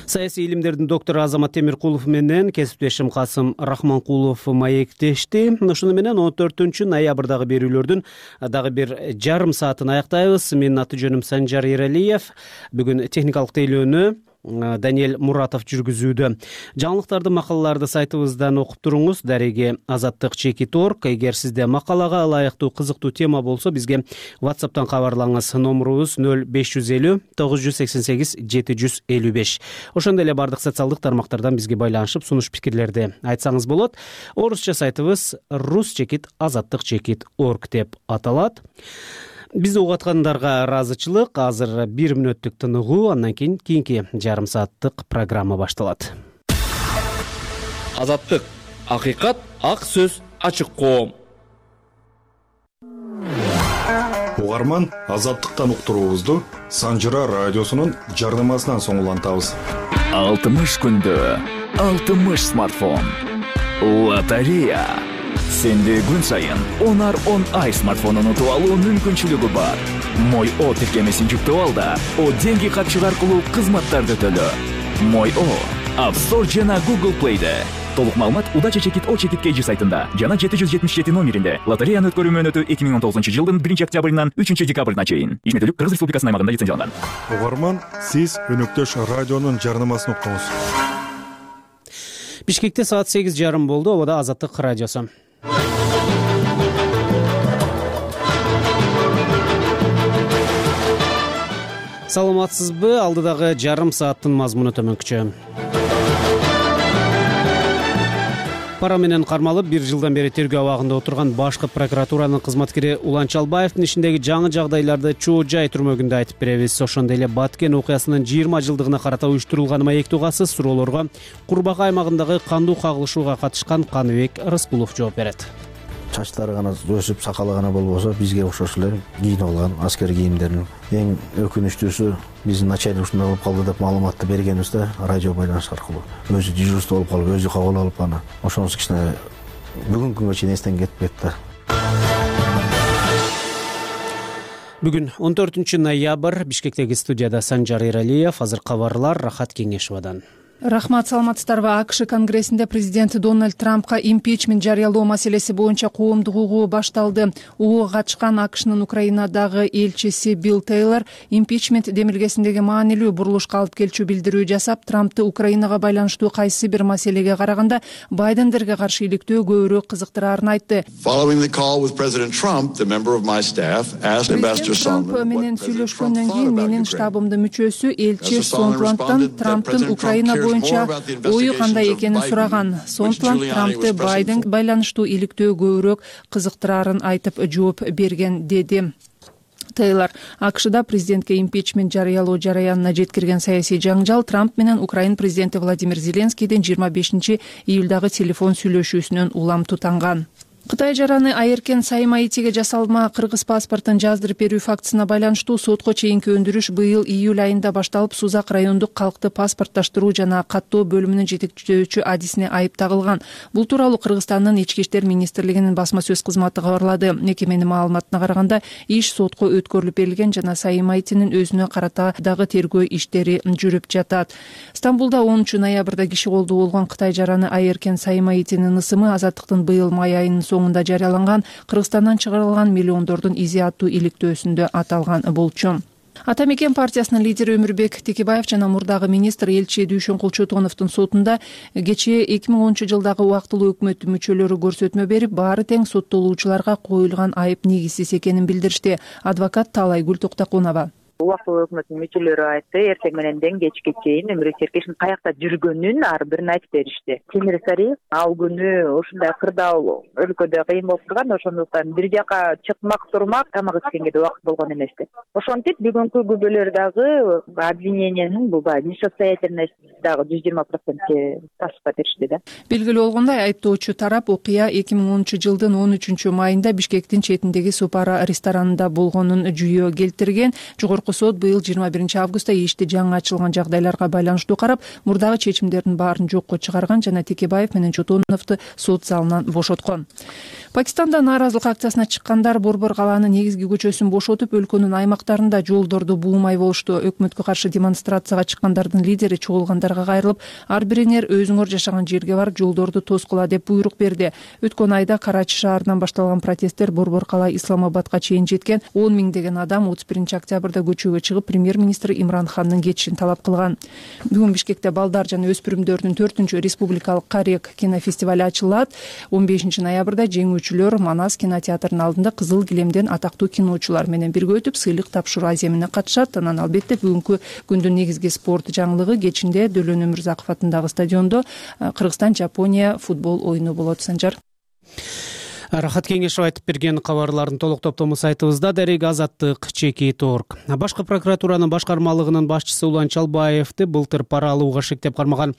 Саясий илимдердин доктору Азамат Темиркулов менен кесиптешим Касым Рахманкулов маектешти. Ошону менен он төртүнчү ноябрдагы берүүлөрдүн дагы бир жарым саатын аяктайбыз. Менин аты жөнүм Санжар Эралиев. Бүгүн техникалык тейлөөнү Даниэль Муратов жүргүзүүдө. Жаңылыктарды, макалаларды сайтыбыздан окуп туруңуз. Дареги азаттык чекит точка орг. Эгер сизде макалага ылайыктуу кызыктуу тема болсо, бизге WhatsApp'тан кабарлаңыз. Номерубуз нөл беш жүз элүү тогуз жүз сексен сегиз жети жүз элүү беш. Ошондой эле бардык социалдык тармактардан бизге байланышып, сунуш пикирлерди айтсаңыз болот. Орусча сайтыбыз рус чекит азаттык чекит точка орг деп аталат. Бизди угаткандарга ыраазычылык. Азыр бир мүнөттүк тыныгуу, андан кийин кийинки жарым сааттык программа башталат. Азаттык, акыйкат, ак сөз, ачык коом. Угарман, азаттыктан уктуруубузду Санжыра радиосунун жардамасынан соң улантабыз. алтымыш күндө алтымыш смартфон. Лотерея. Сенде күн сайын онар он ай смартфонун утуп алуу мүмкүнчүлүгү бар. Мой О тиркемесин жүктөп ал да О деньги катчык аркылуу кызматтарды төлө. Мой О App Store жана Google Play'де. Толук маалымат Удача чекит О чекит Кж сайтында жана жети жүз жетимиш жети номеринде. Лотереяны өткөрүү мөөнөтү эки миң он тогузунчу жылдын биринчи октябрынан үчүнчү декабрына чейин. Ишметтүүлүк Кыргыз Республикасынын аймагында лицензияланган. Угарман, сиз өнөктөш радионун жарнамасын уктуңуз. Бишкекте саат сегиз жарым болду. Обода Азаттык радиосу. Саламатсызбы? Алдыдагы жарым сааттын мазмуну төмөнкүчө. Пара менен кармалып бир жылдан бери тергөө абагында отурган башкы прокуратуранын кызматкери Улан Чалбаевдин ишиндеги жаңы жагдайларды Чоо Жай түрмөгүндө айтып беребиз. Ошондой эле Баткен окуясынын жыйырма жылдыгына карата уюштурулган маектүү касыз суроолорго Курбакай аймагындагы кандуу кагылышууга катышкан Каныбек Рыскулов жооп берет. Чачтары гана өсүп, сакалы гана болбосо, бизге окшош эле кийинип алган аскер кийимдерин. Эң өкүнүчтүүсү биздин начальник ушундай болуп калды деп маалыматты бергенибизде радио байланыш аркылуу өзү дежурство болуп калып, өзү кабыл алып аны. Ошонусу кичине бүгүнкү күнгө чейин эстен кетпейт да. Бүгүн он төртүнчү ноябрь. Бишкектеги студияда Санжар Эралиев. Азыр кабарлар Рахат Кеңешовадан. Рахмат, саламатсыздарбы? АКШ конгрессинде президент Дональд Трампка импичмент жарыялоо маселеси боюнча коомдук угуу башталды. Угууга катышкан АКШнын Украинадагы элчиси Билл Тейлор импичмент демилгесиндеги маанилүү бурулушка алып келчү билдирүү жасап, Трампты Украинага байланыштуу кайсы бир маселеге караганда Байдендерге каршы иликтөө көбүрөөк кызыктырарын айтты. Президент Трамп менен сүйлөшкөндөн кийин менин штабымдын мүчөсү элчи Сонтландтан Трамптын Украина боюнча ою кандай экенин сураган. Сонтланд Трампты Байден байланыштуу иликтөө көбүрөөк кызыктырарын айтып жооп берген, деди Тейлор. АКШда президентке импичмент жарыялоо жараянына жеткирген саясий жаңжал Трамп менен Украин президенти Владимир Зеленскийдин жыйырма бешинчи июлдагы телефон сүйлөшүүсүнөн улам тутанган. Кытай жараны Айеркен Саймаитиге жасалма кыргыз паспортун жаздырып берүү фактысына байланыштуу сотко чейинки өндүрүш быйыл июль айында башталып, Сузак райондук калкты паспортташтыруу жана каттоо бөлүмүнүн жетекчөөчү адисине айып тагылган. Бул тууралуу Кыргызстандын ички иштер министрлигинин басма сөз кызматы кабарлады. Мекеменин маалыматына караганда, иш сотко өткөрүлүп берилген жана Саймаитинин өзүнө карата дагы тергөө иштери жүрүп жатат. Стамбулда онунчу ноябрда киши колдуу болгон Кытай жараны Айеркен Саймаитинин ысымы Азаттыктын быйыл май айынын соңунда жарыяланган Кыргызстандан чыгарылган миллиондордун изи аттуу иликтөөсүндө аталган болчу. Ата мекен партиясынын лидери Өмүрбек Текебаев жана мурдагы министр элчи Дүйшөн Кулчотоновдун сотунда кечээ эки миң онунчу жылдагы убактылуу өкмөттүн мүчөлөрү көрсөтмө берип, баары тең соттолуучуларга коюлган айып негизсиз экенин билдиришти. Адвокат Таалайгүл Токтокунова. Убактылуу өкмөттүн мүчөлөрү айтты, эртең мененден кечке чейин Өмүрбек Серкешовдун каякта жүргөнүн ар бирин айтып беришти. Темир Сариев ал күнү ушундай кырдаал өлкөдө кыйын болуп турган, ошондуктан бир жака чыкмак турмак, тамак ичкенге да убакыт болгон эмес деп. Ошентип бүгүнкү күбөлөр дагы обвинениянын бул баягы несостоятельность дагы жүз жыйырма процентке ташып беришти да. Белгилүү болгондой, айыптоочу тарап окуя эки миң онунчу жылдын он үчүнчү майында Бишкектин четиндеги Супара ресторанында болгонун жүйө келтирген. Жогорку сот быйыл жыйырма биринчи августта ишти жаңы ачылган жагдайларга байланыштуу карап, мурдагы чечимдердин баарын жокко чыгарган жана Текебаев менен Чотоновду сот залынан бошоткон. Пакистанда нааразылык акциясына чыккандар Борбор калаанын негизги көчөсүн бошотуп, өлкөнүн аймактарында жолдорду буумай болушту. Өкмөткө каршы демонстрацияга чыккандардын лидери чогулгандарга кайрылып, ар бириңер өзүңөр жашаган жерге барып жолдорду тоскула деп буйрук берди. Өткөн айда Карачи шаарынан башталган протесттер Борбор калаа Исламабадка чейин жеткен. он миңдеген адам отуз биринчи октябрда көчөгө чыгып, премьер-министр Имран Хандын кетишин талап кылган. Бүгүн Бишкекте балдар жана өспүрүмдөрдүн төртүнчү республикалык Карек кинофестивали ачылат. он бешинчи ноябрда жеңүүчүлөр Манас кинотеатрынын алдында кызыл килемден атактуу киночулар менен бирге өтүп, сыйлык тапшыруу аземине катышат. Анан албетте бүгүнкү күндүн негизги спорт жаңылыгы кечинде Дөлөн Өмүрзаков атындагы стадиондо Кыргызстан-Жапония футбол оюну болот. Санжар. Рахат Кеңешов айтып берген кабарлардын толук топтому сайтыбызда. Дарек Азаттык чекит орг. Башкы прокуратуранын башкармалыгынын башчысы Улан Чалбаевди былтыр пара алууга шектеп кармаган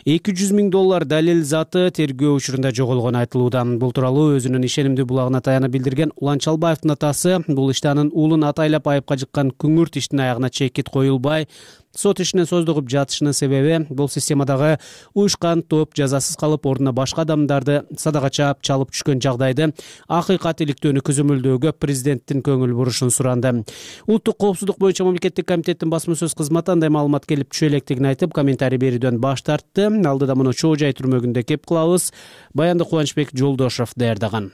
эки жүз миң доллар далил заты тергөө учурунда жоголгону айтылууда. Бул тууралуу өзүнүн ишенимдүү булагына таянып билдирген Улан Чалбаевдин атасы бул иште анын уулун атайлап айыпка жыккан күңүрт иштин аягына чекит коюлбай, Сот ишинин создугуп жатышынын себеби бул системадагы уюшкан топ жазасыз калып ордуна башка адамдарды садака чаап чалып түшкөн жагдайды акыйкат иликтөөнү көзөмөлдөөгө президенттин көңүл бурушун суранды. Улуттук коопсуздук боюнча мамлекеттик комитеттин басма сөз кызматы андай маалымат келип түшө электигин айтып, комментарий берүүдөн баш тартты. Алдыда муну чоо жай түрмөгүндө кеп кылабыз. Баянды Кубанычбек Жолдошов даярдаган.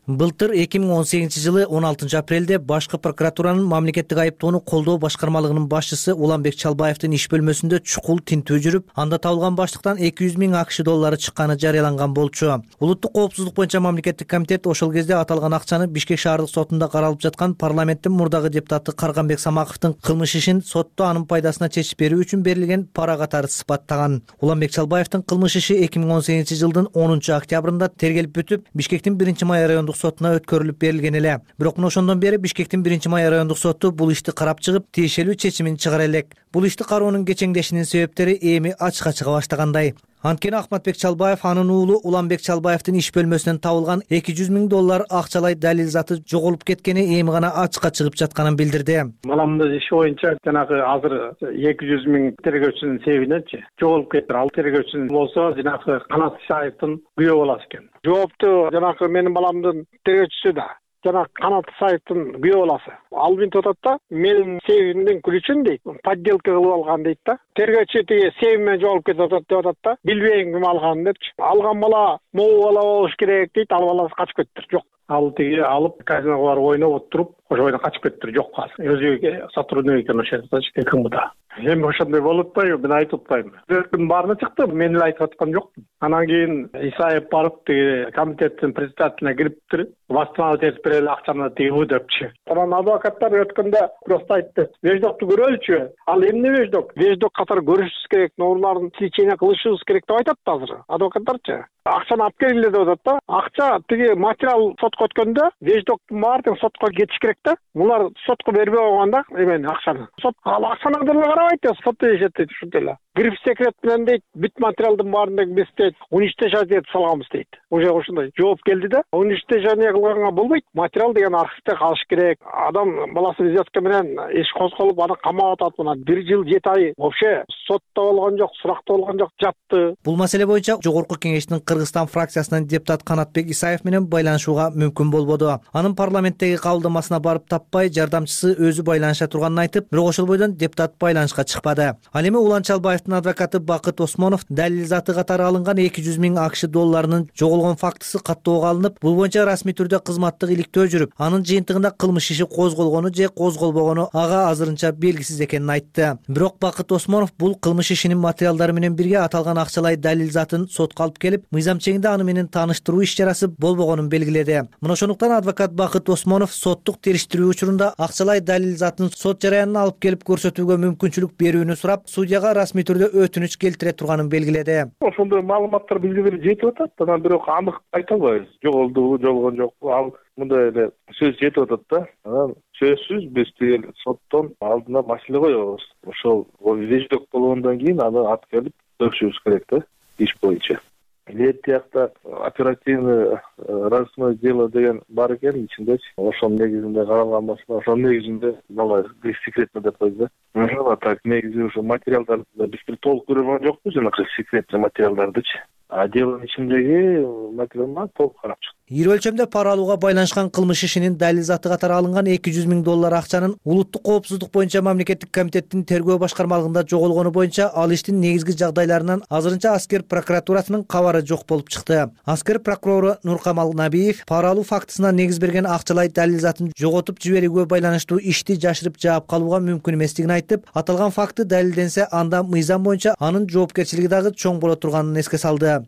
Былтыр эки миң он сегизинчи жылы он алтынчы апрелде башкы прокуратуранын мамлекеттик айыптоону колдоо башкармалыгынын башчысы Уланбек Чалбаевдин иш бөлмөсүндө чукул тинтүү жүрүп, анда табылган баштыктан эки жүз миң акш доллары чыкканы жарыяланган болчу. Улуттук коопсуздук боюнча мамлекеттик комитет ошол кезде аталган акчаны Бишкек шаардык сотунда каралып жаткан парламенттин мурдагы депутаты Карганбек Самаковдун кылмыш ишин сотто анын пайдасына чечип берүү үчүн берилген пара катары сыпаттаган. Уланбек Чалбаевдин кылмыш иши эки миң он сегизинчи жылдын онунчу октябрында тергелип бүтүп, Бишкектин биринчи май райондук сотуна өткөрүлүп берилген эле. Бирок мына ошондон бери Бишкектин биринчи май райондук соту бул ишти карап чыгып, тиешелүү чечимин чыгара элек. Бул ишти кароонун кечеңдешинин себептери эми ачыкка чыга баштагандай. Анткени Ахматбек Чалбаев анын уулу Уланбек Чалбаевдин иш бөлмөсүнөн табылган эки жүз миң доллар акчалай далил заты жоголуп кеткени эми гана ачыкка чыгып жатканын билдирди. Маламдын иши боюнча жанагы азыр эки жүз миң тергөөчүнүн себебиненчи жоголуп кетти. Ал тергөөчүнүн болсо жанагы Канат Исаевдин күйөө баласы экен. Жоопту жанагы менин баламдын тергөөчүсү да жана Канат Исаевдин күйөө баласы. Ал минтип атат да, менин себебимден күлүчүн дейт, подделка кылып алган дейт да. Тергөөчү тиги себебимен жоголуп кетип атат деп атат да. Билбейм ким алганын депчи. Алган бала могу бала болуш керек дейт, ал баласы качып кетиптир. Жок. Ал тиги алып казиного барып ойноп отуруп, ошо бойдон качып кетиптир. Жок азыр. Өзү сотрудник экенин ошентипчи, КМБда. Эми ошондой болуп атпайбы, мен айтып атпайм. Өткүн баарына чыкты, мен эле айтып аткан жокмун. Анан кийин Исаев барып тиги комитеттин председателине кириптир, восстановить этип берели акчаны тиги депчи. Анан адвокаттар өткөндө просто айтты, веждокту көрөлүчү. Ал эмне веждок? Веждок катары көрүшүбүз керек, нормаларын тилчене кылышыбыз керек деп айтат азыр адвокаттарчы. Акчаны алып келгиле деп атат да. Акча тиги материал сотко өткөндө веждоктун баардыгы сотко кетиш керек да. Булар сотко бербей койгонда эмени акчаны. Сот ал акчаны деле карабайт, сот дешет дейт ушундай эле. Гриф секрет менен дейт, бүт материалдын баарын деги биз дейт, уничтожать этип салганбыз дейт. Уже ушундай жооп келди да. Уничтожение кылганга болбойт. Материал деген архивде калыш керек. Адам баласы взятка менен иш козголуп, аны камап атат. Мына бир жыл жети ай вообще сотто болгон жок, суракта болгон жок, жатты. Бул маселе боюнча Жогорку Кеңештин Кыргызстан фракциясынан депутат Канатбек Исаев менен байланышууга мүмкүн болбоду. Анын парламенттеги кабылдамасына барып таппай, жардамчысы өзү байланыша турганын айтып, бирок ошол бойдон депутат байланышка чыкпады. Ал эми Улан Чалбаевдин адвокаты Бакыт Осмонов далил заты катары алынган эки жүз миң акш долларынын жоголгон фактысы каттоого алынып, бул боюнча расмий түрдө кызматтык иликтөө жүрүп, анын жыйынтыгында кылмыш иши козголгону же козголбогону ага азырынча белгисиз экенин айтты. Бирок Бакыт Осмонов бул кылмыш ишинин материалдары менен бирге аталган акчалай далил затын сотко алып келип, мыйзам чегинде аны менен тааныштыруу иш чарасы болбогонун белгиледи. Мына ошондуктан адвокат Бакыт Осмонов соттук териштирүү учурунда акчалай далил затын сот жараянына алып келип көрсөтүүгө мүмкүнчүлүк берүүнү сурап, судьяга расмий түрдө өтүнүч келтире турганын белгиледи. Ошондой маалыматтар бизге деле жетип атат, анан бирок анык айта албайбыз. Жоголдубу, жоголгон жокпу, ал мындай эле сөз жетип атат да. Анан сөзсүз биз тиги соттон алдына маселе коебуз. Ошол веждок болгондон кийин аны алып келип көрүшүбүз керек да, иш боюнча. Эле тиякта оперативный розыскное дело деген бар экен ичинде. Ошонун негизинде каралган маселе, ошонун негизинде мына секретно деп койду да. А так негизи ошо материалдарды биз бир толук көрө алган жокпуз, жанагы секретный материалдардычы. А делонун ичиндеги материалды толук карап чыктык. Ири өлчөмдө пара алууга байланышкан кылмыш ишинин далил заты катары алынган эки жүз миң доллар акчанын улуттук коопсуздук боюнча мамлекеттик комитеттин тергөө башкармалыгында жоголгону боюнча ал иштин негизги жагдайларынан азырынча Аскер прокуратурасынын кабары жок болуп чыкты. Аскер прокурору Нуркамал Набиев пара алуу фактысына негиз берген акчалай далил затын жоготуп жиберүүгө байланыштуу ишти жашырып жаап калууга мүмкүн эместигин айтып, аталган факты далилденсе, анда мыйзам боюнча анын жоопкерчилиги дагы чоң боло турганын эске салды.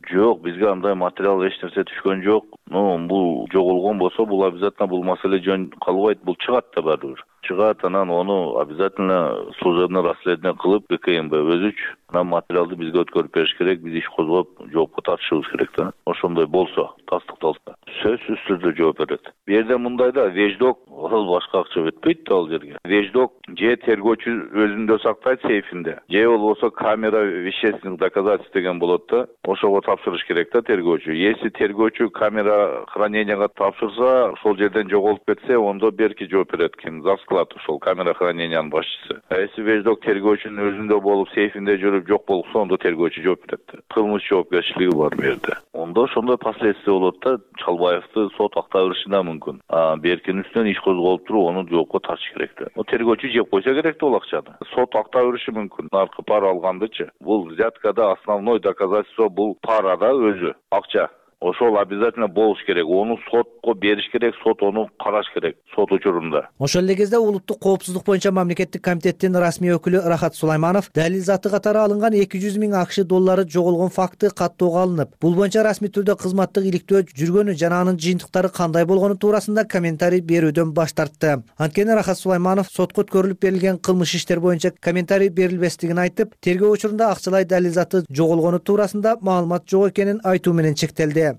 Жок, бизге андай материал эч нерсе түшкөн жок. Ну, бул жоголгон болсо, бул обязательно бул маселе жөн калбайт, бул чыгат да баары бир. Чыгат, анан ону обязательно служебный расследование кылып КМБ өзүчү анан материалды бизге өткөрүп бериш керек, биз иш козгоп жоопко тартышыбыз керек да. Ошондой болсо, тастыкталса сөзсүз түрдө жооп берет. Бу жерде мындай да, веждок ал башка акча өтпөйт да ал жерге. Веждок же тергөөчү өзүндө сактайт сейфинде, же болбосо камера вещественных доказательств деген болот да. Ошого тапшырыш керек да тергөөчү. Если тергөөчү камера храненияга тапшырса, ошол жерден жоголуп кетсе, ондо берки жооп берет ким? За склад ошол камера хранениянын башчысы. А если веждок тергөөчүнүн өзүндө болуп, сейфинде жүрүп жок болсо, ондо тергөөчү жооп берет. Кылмыш жоопкерчилиги бар бу жерде. Ондо ошондой последствия болот да, Чалбаевди сот актай бериши да мүмкүн. А беркинин үстүнөн иш козголуп туруп, аны жоопко тартыш керек да. Тергөөчү жеп койсо керек да бул акчаны. Сот актай бериши мүмкүн. Наркы пара алгандычы. Бул взяткада основной доказательство бул парада өзү, акча. Ошол обязательно болуш керек. Ону сотко бериш керек, сот ону караш керек сот учурунда. Ошол эле кезде улуттук коопсуздук боюнча мамлекеттик комитеттин расмий өкүлү Рахат Сулайманов далил заты катары алынган эки жүз миң акш доллары жоголгон факты каттоого алынып, бул боюнча расмий түрдө кызматтык иликтөө жүргөнү жана анын жыйынтыктары кандай болгону туурасында комментарий берүүдөн баш тартты. Анткени Рахат Сулайманов сотко өткөрүлүп берилген кылмыш иштер боюнча комментарий берилбестигин айтып, тергөө учурунда акчалай далил заты жоголгону туурасында маалымат жок экенин айтуу менен чектелди.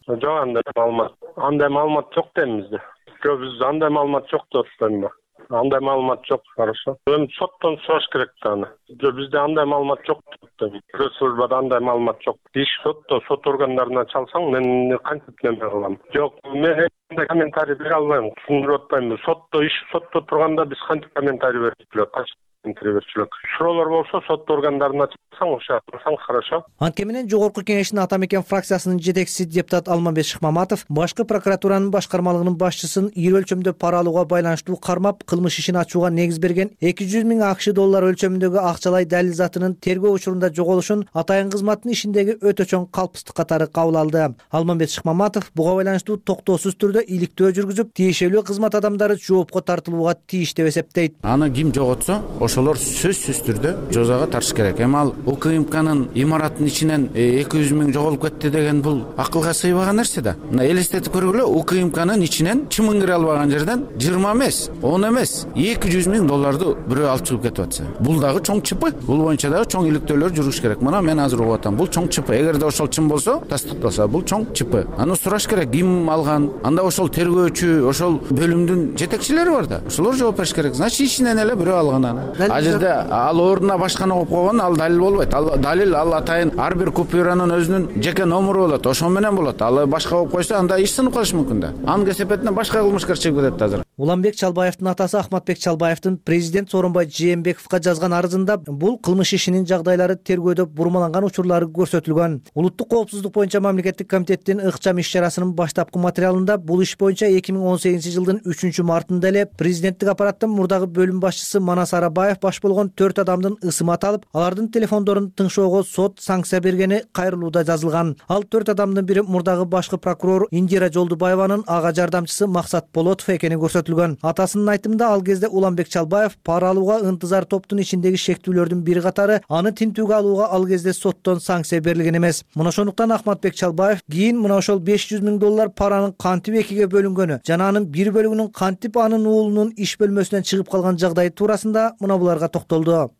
Жок, андай маалымат. Андай маалымат жок дейм бизде. Жок, биз андай маалымат жок деп атпаймынбы? Андай маалымат жок, хорошо. Эми соттон сураш керек да аны. Жок, бизде андай маалымат жок деп. Пресс-службада андай маалымат жок. Иш сотто, сот органдарына чалсаң, мен кантип неме кылам? Жок, мен андай комментарий бере албайм. Түшүндүрүп атпаймынбы? Сотто иш сотто турганда биз кантип комментарий берип жүрөт? Суроолор болсо сот органдарына чыксаң, ошо атсаң хорошо. Анткени менен жогорку кеңештин ата мекен фракциясынын жетекчиси депутат Алмамбет Шыкмаматов башкы прокуратуранын башкармалыгынын башчысын ири өлчөмдө пара алууга байланыштуу кармап, кылмыш ишин ачууга негиз берген эки жүз миң акш доллар өлчөмүндөгү акчалай далил затынын тергөө учурунда жоголушун атайын кызматтын ишиндеги өтө чоң калпстык катары кабыл алды. Алмамбет Шыкмаматов буга байланыштуу токтоосуз түрдө иликтөө жүргүзүп, тиешелүү кызмат адамдары жоопко тартылууга тийиш деп эсептейт. Аны ким жоготсо, ошолор сөзсүз түрдө жазага тартыш керек. Эми ал УКМКнын имараттын ичинен эки жүз миң жоголуп кетти деген бул акылга сыйбаган нерсе да. Мына элестетип көргүлө, УКМКнын ичинен чымын кире албаган жерден жыйырма эмес, он эмес, эки жүз миң долларды бирөө алып чыгып кетип атса, бул дагы чоң чыпы. Бул боюнча дагы чоң иликтөөлөр жүрүш керек. Мына мен азыр угуп атам, бул чоң чыпы. Эгерде ошол чын болсо, тастыкталса, бул чоң чыпы. Аны сураш керек, ким алган? Анда ошол тергөөчү, ошол бөлүмдүн жетекчилери бар да. Ошолор жооп бериш керек. Значит, ичинен эле бирөө алган аны. Ал ордуна башканы коюп койгон, ал далил болбойт. Ал далил ал атайын ар бир купюранын өзүнүн жеке номеру болот, ошо менен болот. Ал башка коюп койсо, анда иш сынып калышы мүмкүн да. Анын кесепетине башка кылмышкер чыгып кетет азыр. Уланбек Чалбаевдин атасы Ахматбек Чалбаевдин президент Сооронбай Жээнбековго жазган арызында бул кылмыш ишинин жагдайлары тергөөдө бурмаланган учурлары көрсөтүлгөн. Улуттук коопсуздук боюнча мамлекеттик комитеттин ыкчам иш чарасынын баштапкы материалында бул иш боюнча эки миң он сегизинчи жылдын үчүнчү мартында эле президенттик аппараттын мурдагы бөлүм башчысы Манас Арабаев баш болгон төрт адамдын ысымы аталып, алардын телефондорун тыңшоого сот санкция бергени кайрылууда жазылган. Ал төрт адамдын бири мурдагы башкы прокурор Индира Жолдубаеванын ага жардамчысы Максат Болотов экени көрсөтүлгөн. Атасынын айтымында ал кезде Уланбек Чалбаев пара алууга ынтызар топтун ичиндеги шектүүлөрдүн бири катары аны тинтүүгө алууга ал кезде соттон санкция берилген эмес. Мына ошондуктан Ахматбек Чалбаев кийин мына ошол беш жүз миң доллар паранын кантип экиге бөлүнгөнү жана анын бир бөлүгүнүн кантип анын уулунун иш бөлмөсүнөн чыгып калган жагдайы туурасында мына буларга токтолду.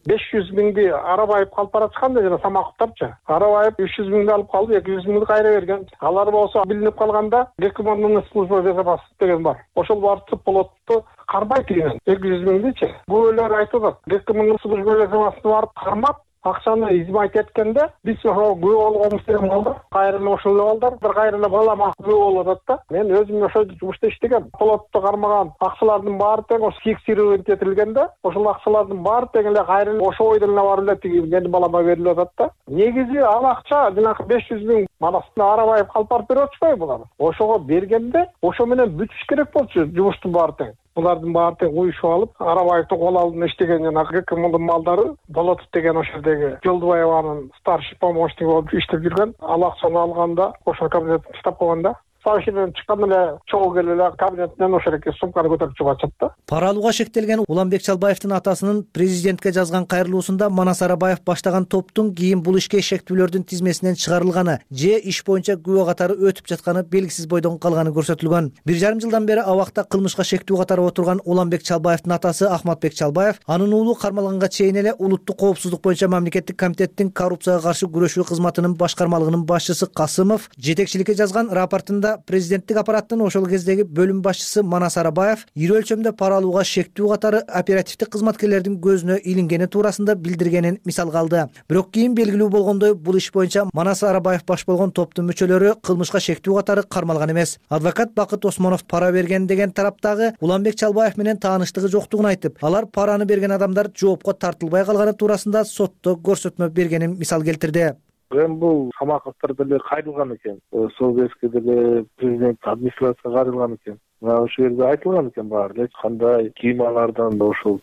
беш жүз миңди Арабаев алып бараткан да жана Самаковтарчы. Арабаев үч жүз миңди алып калып, эки жүз миңди кайра берген. Алар болсо билинип калганда Гекмондун служба безопасности деген бар. Ошол барып болотту кармайт деген эки жүз миңдичи. Күбөлөр айтып атат. Гекмондун служба безопасности барып кармап, акчаны измайт эткенде биз ошо күбө болгонбуз деген балдар, кайра эле ошол балдар, бир кайра эле балам күбө болуп атат да. Мен өзүм ошо жумушта иштегем. Полотту кармаган акчалардын баары тең ошо фиксировать этилгенде, ошол акчалардын баары тең эле кайра эле ошо ойдон эле барып эле тиги менин балама берилип атат да. Негизи ал акча жанагы беш жүз миң Манастын Арабаев алып барып берип атышпайбы булар? Ошого бергенде ошо менен бүтүш керек болчу жумуштун баары тең. Булардын баары тең уюшуп алып, Арабаевдин кол алдында иштеген жана Гекмондун малдары Болотов деген ошол жердеги Жолдубаеванын старший помощниги болуп иштеп жүргөн. Ал акчаны алганда ошол кабинеттин штаб койгонда машинадан чыкканда эле чогуу келип эле кабинетинен ошол эки сумканы көтөрүп чыгып атышат да. Пара алууга шектелген Уланбек Чалбаевдин атасынын президентке жазган кайрылуусунда Манас Арабаев баштаган топтун кийин бул ишке шектүүлөрдүн тизмесинен чыгарылганы же иш боюнча күбө катары өтүп жатканы белгисиз бойдон калганы көрсөтүлгөн. Бир жарым жылдан бери абакта кылмышка шектүү катары отурган Уланбек Чалбаевдин атасы Ахматбек Чалбаев анын уулу кармалганга чейин эле улуттук коопсуздук боюнча мамлекеттик комитеттин коррупцияга каршы күрөшүү кызматынын башкармалыгынын башчысы Касымов жетекчиликке жазган рапортунда президенттик аппараттын ошол кездеги бөлүм башчысы Манас Арабаев ири өлчөмдө пара алууга шектүү катары оперативдик кызматкерлердин көзүнө илингени туурасында билдиргенин мисалга алды. Бирок кийин белгилүү болгондой бул иш боюнча Манас Арабаев баш болгон топтун мүчөлөрү кылмышка шектүү катары кармалган эмес. Адвокат Бакыт Осмонов пара берген деген тараптагы Уланбек Чалбаев менен тааныштыгы жоктугун айтып, алар параны берген адамдар жоопко тартылбай калганы туурасында сотто көрсөтмө бергенин мисал келтирди. Эми бул Самаковдор деле кайрылган экен. Сол кезге деле президент администрацияга кайрылган экен. Мына ошол жерде айтылган экен баары эч кандай кийималардан да ошол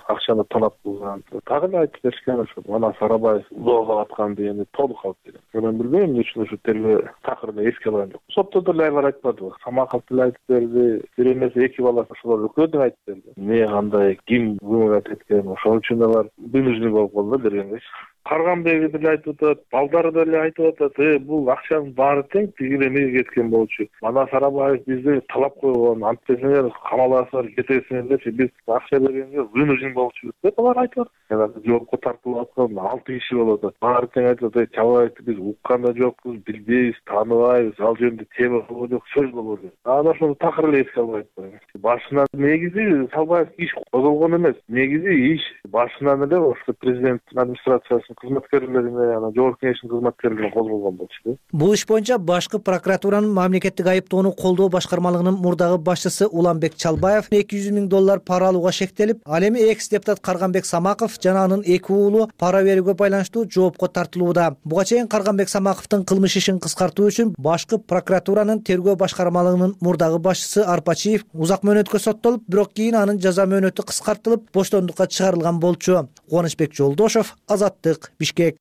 акчаны тонап кылган. Дагы эле айтып беришкен ошо Манас Арабаев улоолоп аткан дегенди толук алып берген. Мен билбейм эмне үчүн ошо тергөө такырын эске алган жок. Сотто деле алар айтпады. Самаков деле айтып берди. Бир эмес эки баласы ошолор экөө деле айтып берди. Эмне кандай ким көмөк эткен ошол үчүн алар вынужден болуп калды бергенбеч. Карганбек деле айтып атат, балдары деле айтып атат, э бул акчанын баары тең тигил эмеге кеткен болчу. Манас Арабаев бизди талап койгон, антесиңер камаласыңар, кетесиңер депчи, биз акча бергенге вынужден болчубуз деп алар айтып атат. Жоопко тартылып аткан алты киши болуп атат. Баары тең айтып атат, Чалбаевди биз уккан да жокпуз, билбейбиз, тааныбайбыз, ал жөнүндө тема болгон жок, сөз болгон жок. Анан ошону такыр эле эске албай атпайбы. Башынан негизи Чалбаев иш козголгон эмес. Негизи иш башынан эле ошо президенттин администрациясынын кызматкерлерине, анан жогорку кеңештин кызматкерлерине козголгон болчу. Бул иш боюнча башкы прокуратуранын мамлекеттик айыптоону колдоо башкармалыгынын мурдагы башчысы Уланбек Чалбаев эки жүз миң доллар пара алууга шектелип, ал эми экс депутат Карганбек Самаков жана анын эки уулу пара берүүгө байланыштуу жоопко тартылууда. Буга чейин Карганбек Самаковдун кылмыш ишин кыскартуу үчүн башкы прокуратуранын тергөө башкармалыгынын мурдагы башчысы Арпачиев узак мөөнөткө соттолуп, бирок кийин анын жаза мөөнөтү кыскартылып, боштондукка чыгарылган болчу. Кубанычбек Жолдошов, Азаттык, Бишкек.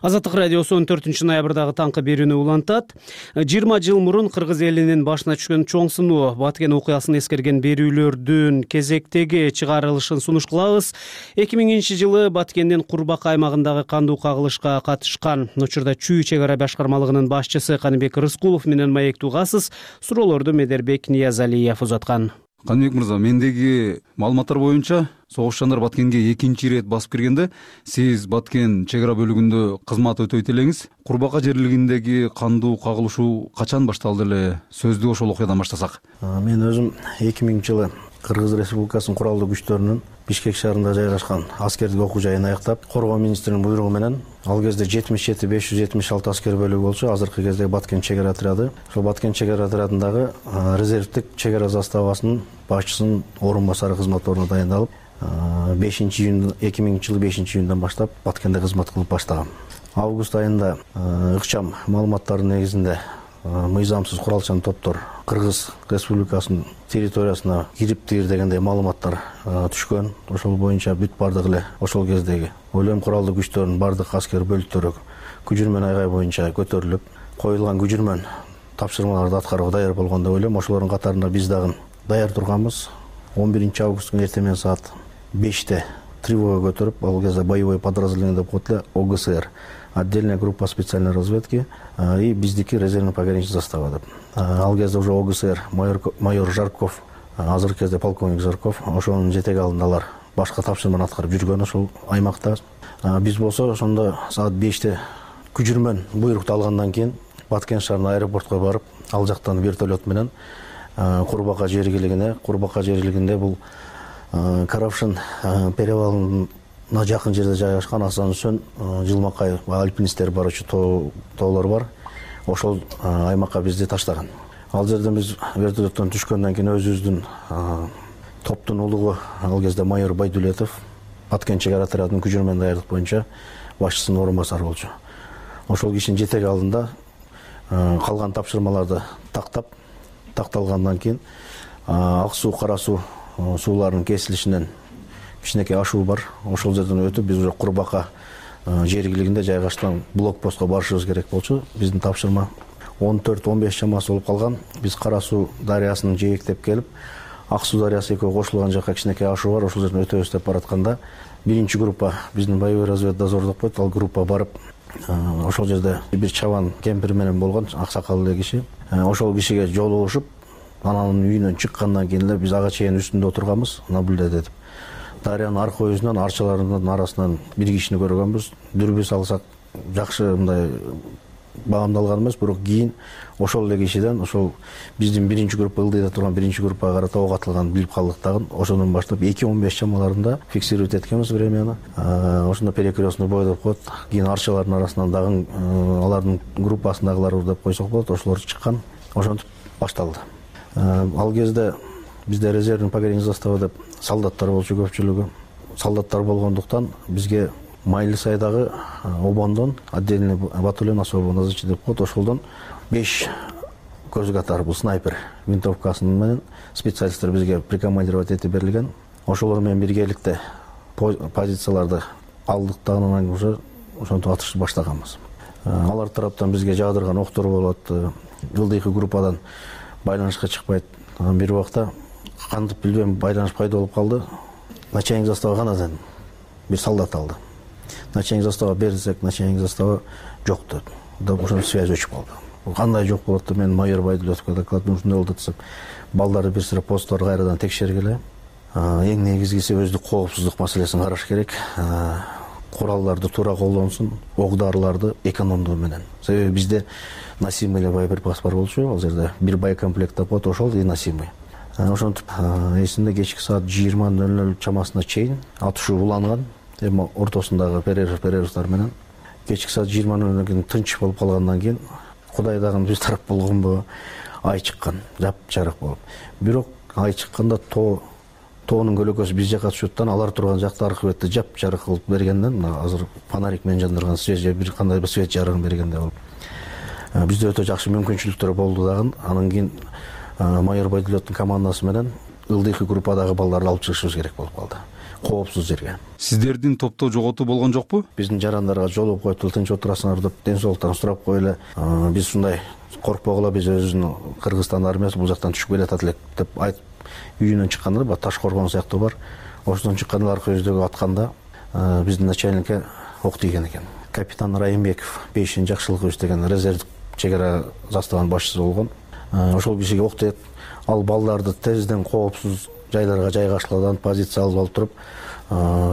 Азаттык радиосу он төртүнчү ноябрдагы таңкы берүүнү улантат. жыйырма жыл мурун кыргыз элинин башына түшкөн чоң сыноо Баткен окуясын эскерген берүүлөрдүн кезектеги чыгарылышын сунуш кылабыз. эки миңинчи жылы Баткендин Курбак аймагындагы кандуу кагылышка катышкан учурда Чүй чек ара башкармалыгынын башчысы Каныбек Рыскулов менен маектугасыз. Суроолорду Медербек Ниязалиев узаткан. Каныбек мырза, мендеги маалыматтар боюнча согушчандар Баткенге экинчи ирет басып киргенде сиз Баткен чек ара бөлүгүндө кызмат өтөйт элеңиз. Курбака жерлигиндеги кандуу кагылышуу качан башталды эле? Сөздү ошол окуядан баштасак. Мен өзүм эки миңинчи жылы Кыргыз Республикасынын куралдуу күчтөрүнүн Бишкек шаарында жайгашкан аскердик окуу жайын аяктап, коргоо министринин буйругу менен ал кезде жетимиш жети беш жүз жетимиш алты аскер бөлүгү болчу. Азыркы кезде Баткен чек ара отряды. Ошол Баткен чек ара отрядындагы резервдик чек ара заставасынын башчысынын орун басары кызмат ордуна дайындалып, бешинчи июнь эки миңинчи жылы бешинчи июндан баштап Баткенде кызмат кылып баштагам. Август айында ыкчам маалыматтардын негизинде мыйзамсыз куралчан топтор Кыргыз Республикасынын территориясына кириптир дегендей маалыматтар түшкөн. Ошол боюнча бүт бардык эле ошол кездеги ойлойм куралдуу күчтөрдүн бардык аскер бөлүктөрү күжүрмөн айгай боюнча көтөрүлүп, коюлган күжүрмөн тапшырмаларды аткарууга даяр болгон деп ойлойм. Ошолордун катарында биз дагы даяр турганбыз. он биринчи августтун эртең менен саат беште тревога көтөрүп, ал кезде боевой подразделение деп коет эле, ОГСР, отдельная группа специальной разведки и биздики резервный пограничный застава деп. Ал кезде уже ОГСР майор, майор Жарков, азыркы кезде полковник Жарков, ошонун жетеги алдында алар башка тапшырманы аткарып жүргөн ошол аймакта. Биз болсо ошондо саат беште күжүрмөн буйрукту алгандан кийин Баткен шаарына аэропортко барып, ал жактан вертолет менен Курбака жергилигине, Курбака жерлигинде бул Каравшин перевалына жакын жерде жайгашкан Асан Үсөн, Жылмакай альпинисттер барчу тоолор бар. Ошол аймакка бизди таштаган. Ал жерден биз вертолеттон түшкөндөн кийин өзүбүздүн топтун улугу, ал кезде майор Байдулетов, Баткен чек ара отрядынын күжүрмөн даярдык боюнча башчысынын орун басары болчу. Ошол кишинин жетеги алдында калган тапшырмаларды тактап, такталгандан кийин ак суу, кара суу сууларынын кесилишинен кичинекей ашуу бар. Ошол жерден өтүп биз уже Курбака жергилигинде жайгашкан блокпостко барышыбыз керек болчу. Биздин тапшырма он төрт он беш чамасы болуп калган. Биз Кара Суу дарыясынан жээктеп келип, Ак Суу дарыясы экөө кошулган жакка кичинекей ашуу бар, ошол жерден өтөбүз деп баратканда биринчи группа биздин боевой разведдозор коет, ал группа барып ошол жерде бир чабан кемпир менен болгон, аксакал эле киши. Ошол кишиге жолугушуп, анын үйүнөн чыккандан кийин эле биз ага чейин үстүндө отурганбыз, наблюдать этип. Дарыянын арка өзүнөн, арчаларынын арасынан бир кишини көргөнбүз. Дүрбү салсак жакшы мындай баамдалган эмес, бирок кийин ошол эле кишиден ошол биздин биринчи группа ылдыйда турган биринчи группага карата ок атылганын билип калдык дагы. Ошондон баштап эки он беш чамаларында фиксировать эткенбиз времяны. Ошондо перекрестный бой деп коет. Кийин арчалардын арасынан дагы алардын группасындагылар деп койсок болот, ошолор чыккан. Ошентип башталды. Ал кезде бизде резервный пограничный застава деп солдаттар болчу көпчүлүгү. Солдаттар болгондуктан бизге Майлысайдагы обондон отдельный батальон особо назначен деп коет. Ошолдон беш көз катары бул снайпер винтовкасы менен специалисттер бизге прикомандировать этип берилген. Ошолор менен биргеликте позицияларды алдык да анан уже ошентип атышты баштаганбыз. Алар тараптан бизге жаадырган октор болот. Ылдыйкы группадан байланышка чыкпайт. Анан бир убакта кантип билбейм байланыш пайда болуп калды. Начальник застава канадан бир солдат алды. Начальник застава берсек, начальник застава жок деп. Да ошол связь өчүп калды. Кандай жок болот деп мен майор Байдулетовго доклад ушундай болду десем, балдарды бир сыра посттор кайрадан текшергиле. Эң негизгиси өздүк коопсуздук маселесин караш керек. Куралдарды туура колдонсун, ок-дарыларды экономдуу менен. Себеби бизде носимый эле боеприпас бар болчу, ал жерде бир боекомплект деп коет, ошол и носимый. Ошентип эсимде кечки саат жыйырма ноль ноль чамасына чейин атышуу уланган. Эми ортосундагы перерыв перерывдар менен кечки саат жыйырма ноль нолдон кийин тынч болуп калгандан кийин Кудай дагы биз тарап болгонбу, ай чыккан, жап-жарык болуп. Бирок ай чыкканда тоо тоонун көлөкөсү биз жакка түшөттөн алар турган жакта аркы бетте жап-жарык кылып бергенден, мына азыр фонарик менен жандырган свет же бир кандай бир свет жарыгын бергендей болуп. Бизде өтө жакшы мүмкүнчүлүктөр болду дагы. Анан кийин майор Байдулеттин командасы менен ылдыйкы группадагы балдарды алып чыгышыбыз керек болуп калды. Коопсуз жерге. Сиздердин топто жоготуу болгон жокпу? Биздин жарандарга жолугуп коюп, тынч отурасыңар деп ден соолуктарын сурап коеле. Биз ушундай коркпогула, биз өзүбүздүн Кыргызстан армиясы бул жактан түшүп келатат элек деп айтып үйүнөн чыкканда бат таш коргон сыяктуу бар. Ошондон чыкканда аркы өздөгү атканда биздин начальникке ок тийген экен. Капитан Райымбеков бешинчи Жакшылыкович деген резервдик чек ара заставанын башчысы болгон. Ошол кишиге ок тиет. Ал балдарды тезден коопсуз жайларга жайгашкыладан позиция алып алып туруп,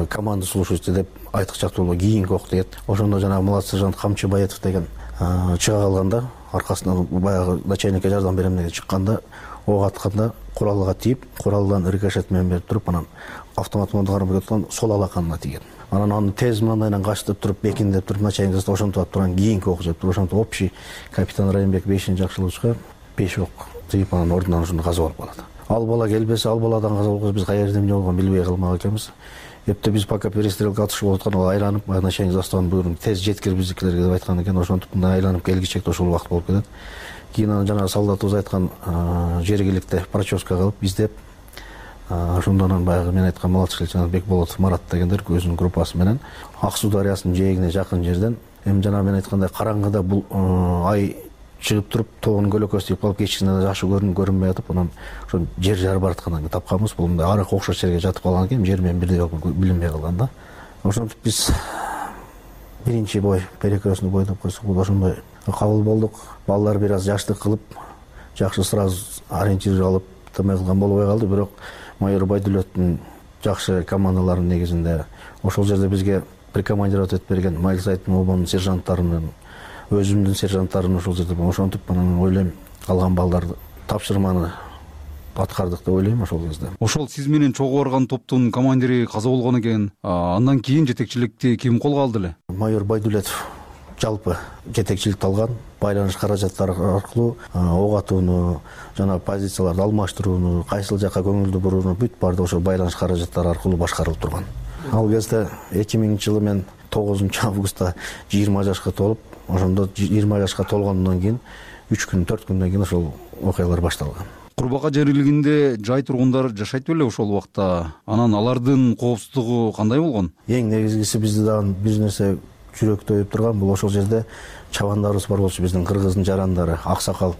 команда слушайте деп айтыкчактуу кийинки ок тиет. Ошондо жанагы младший сержант Камчыбаетов деген чыга калганда, аркасынан баягы начальникке жардам берем деп чыкканда, ок атканда куралга тийип, куралдан рикошет менен берип туруп, анан автомат менен кармап кеткан сол алаканына тийген. Анан аны тез мындайдан качтып туруп, бекиндеп туруп, начальник застава ошентип турган кийинки ок жеп туруп, ошентип общий капитан Райымбек бешинчи Жакшылыковичка беш ок тийип, анан ордунан ошондо каза болуп калат. Ал бала келбесе, ал баладан каза болгон биз кайерде эмне болгонун билбей калмак экенбиз. Эпте биз пока перестрелка атышып аткан, ал айланып, начальник заставанын буйругун тез жеткир биздикилерге деп айткан экен. Ошентип мындай айланып келгичекте ошол убакыт болуп кетет. Кийин анан жанагы солдатыбыз айткан жергиликте проческа кылып издеп, ошондон анан баягы мен айткан младший лейтенант Бекболотов Марат дегендер өзүнүн группасы менен Ак Суу дарыясынын жээгине жакын жерден, эми жанагы мен айткандай караңгыда бул ай чыгып туруп, тоонун көлөкөсү тийип калып, кечисинен жакшы көрүнүп көрүнбөй атып, анан ошо жер жары бараткандан кийин тапканбыз. Бул мындай арык окшош жерге жатып калган экен, жер менен бирдей болуп билинбей калган да. Ошентип биз биринчи бой, перекрестный бой деп койсок, бул ошондой кабыл болдук. Балдар бир аз жаштык кылып, жакшы сразу ориентир алып тымай кылган болбой калды, бирок майор Байдулеттин жакшы командаларынын негизинде ошол жерде бизге прикомандировать этип берген Майлысайдын обонун сержанттарынын, өзүмдүн сержанттарым ошол жерде. Ошентип анан ойлойм, калган балдарды тапшырманы аткардык деп ойлойм ошол кезде. Ошол сиз менен чогуу барган топтун командири каза болгон экен. Андан кийин жетекчиликти ким колго алды эле? Майор Байдулетов жалпы жетекчиликти алган. Байланыш каражаттары аркылуу ок атууну, жана позицияларды алмаштырууну, кайсыл жакка көңүлдү бурууну бүт барды ошол байланыш каражаттары аркылуу башкарылып турган. Ал кезде эки миңинчи жылы мен тогузунчу августта жыйырма жашка толуп, ошондо жыйырма жашка толгондон кийин үч күн төрт күндөн кийин ошол окуялар башталган. Курбака жерлигинде жай тургундар жашайт беле ошол убакта? Анан алардын коопсуздугу кандай болгон? Эң негизгиси бизде дагы бир нерсе жүрөктөйүп турган бул ошол жерде чабандарыбыз бар болчу, биздин кыргыздын жарандары, аксакал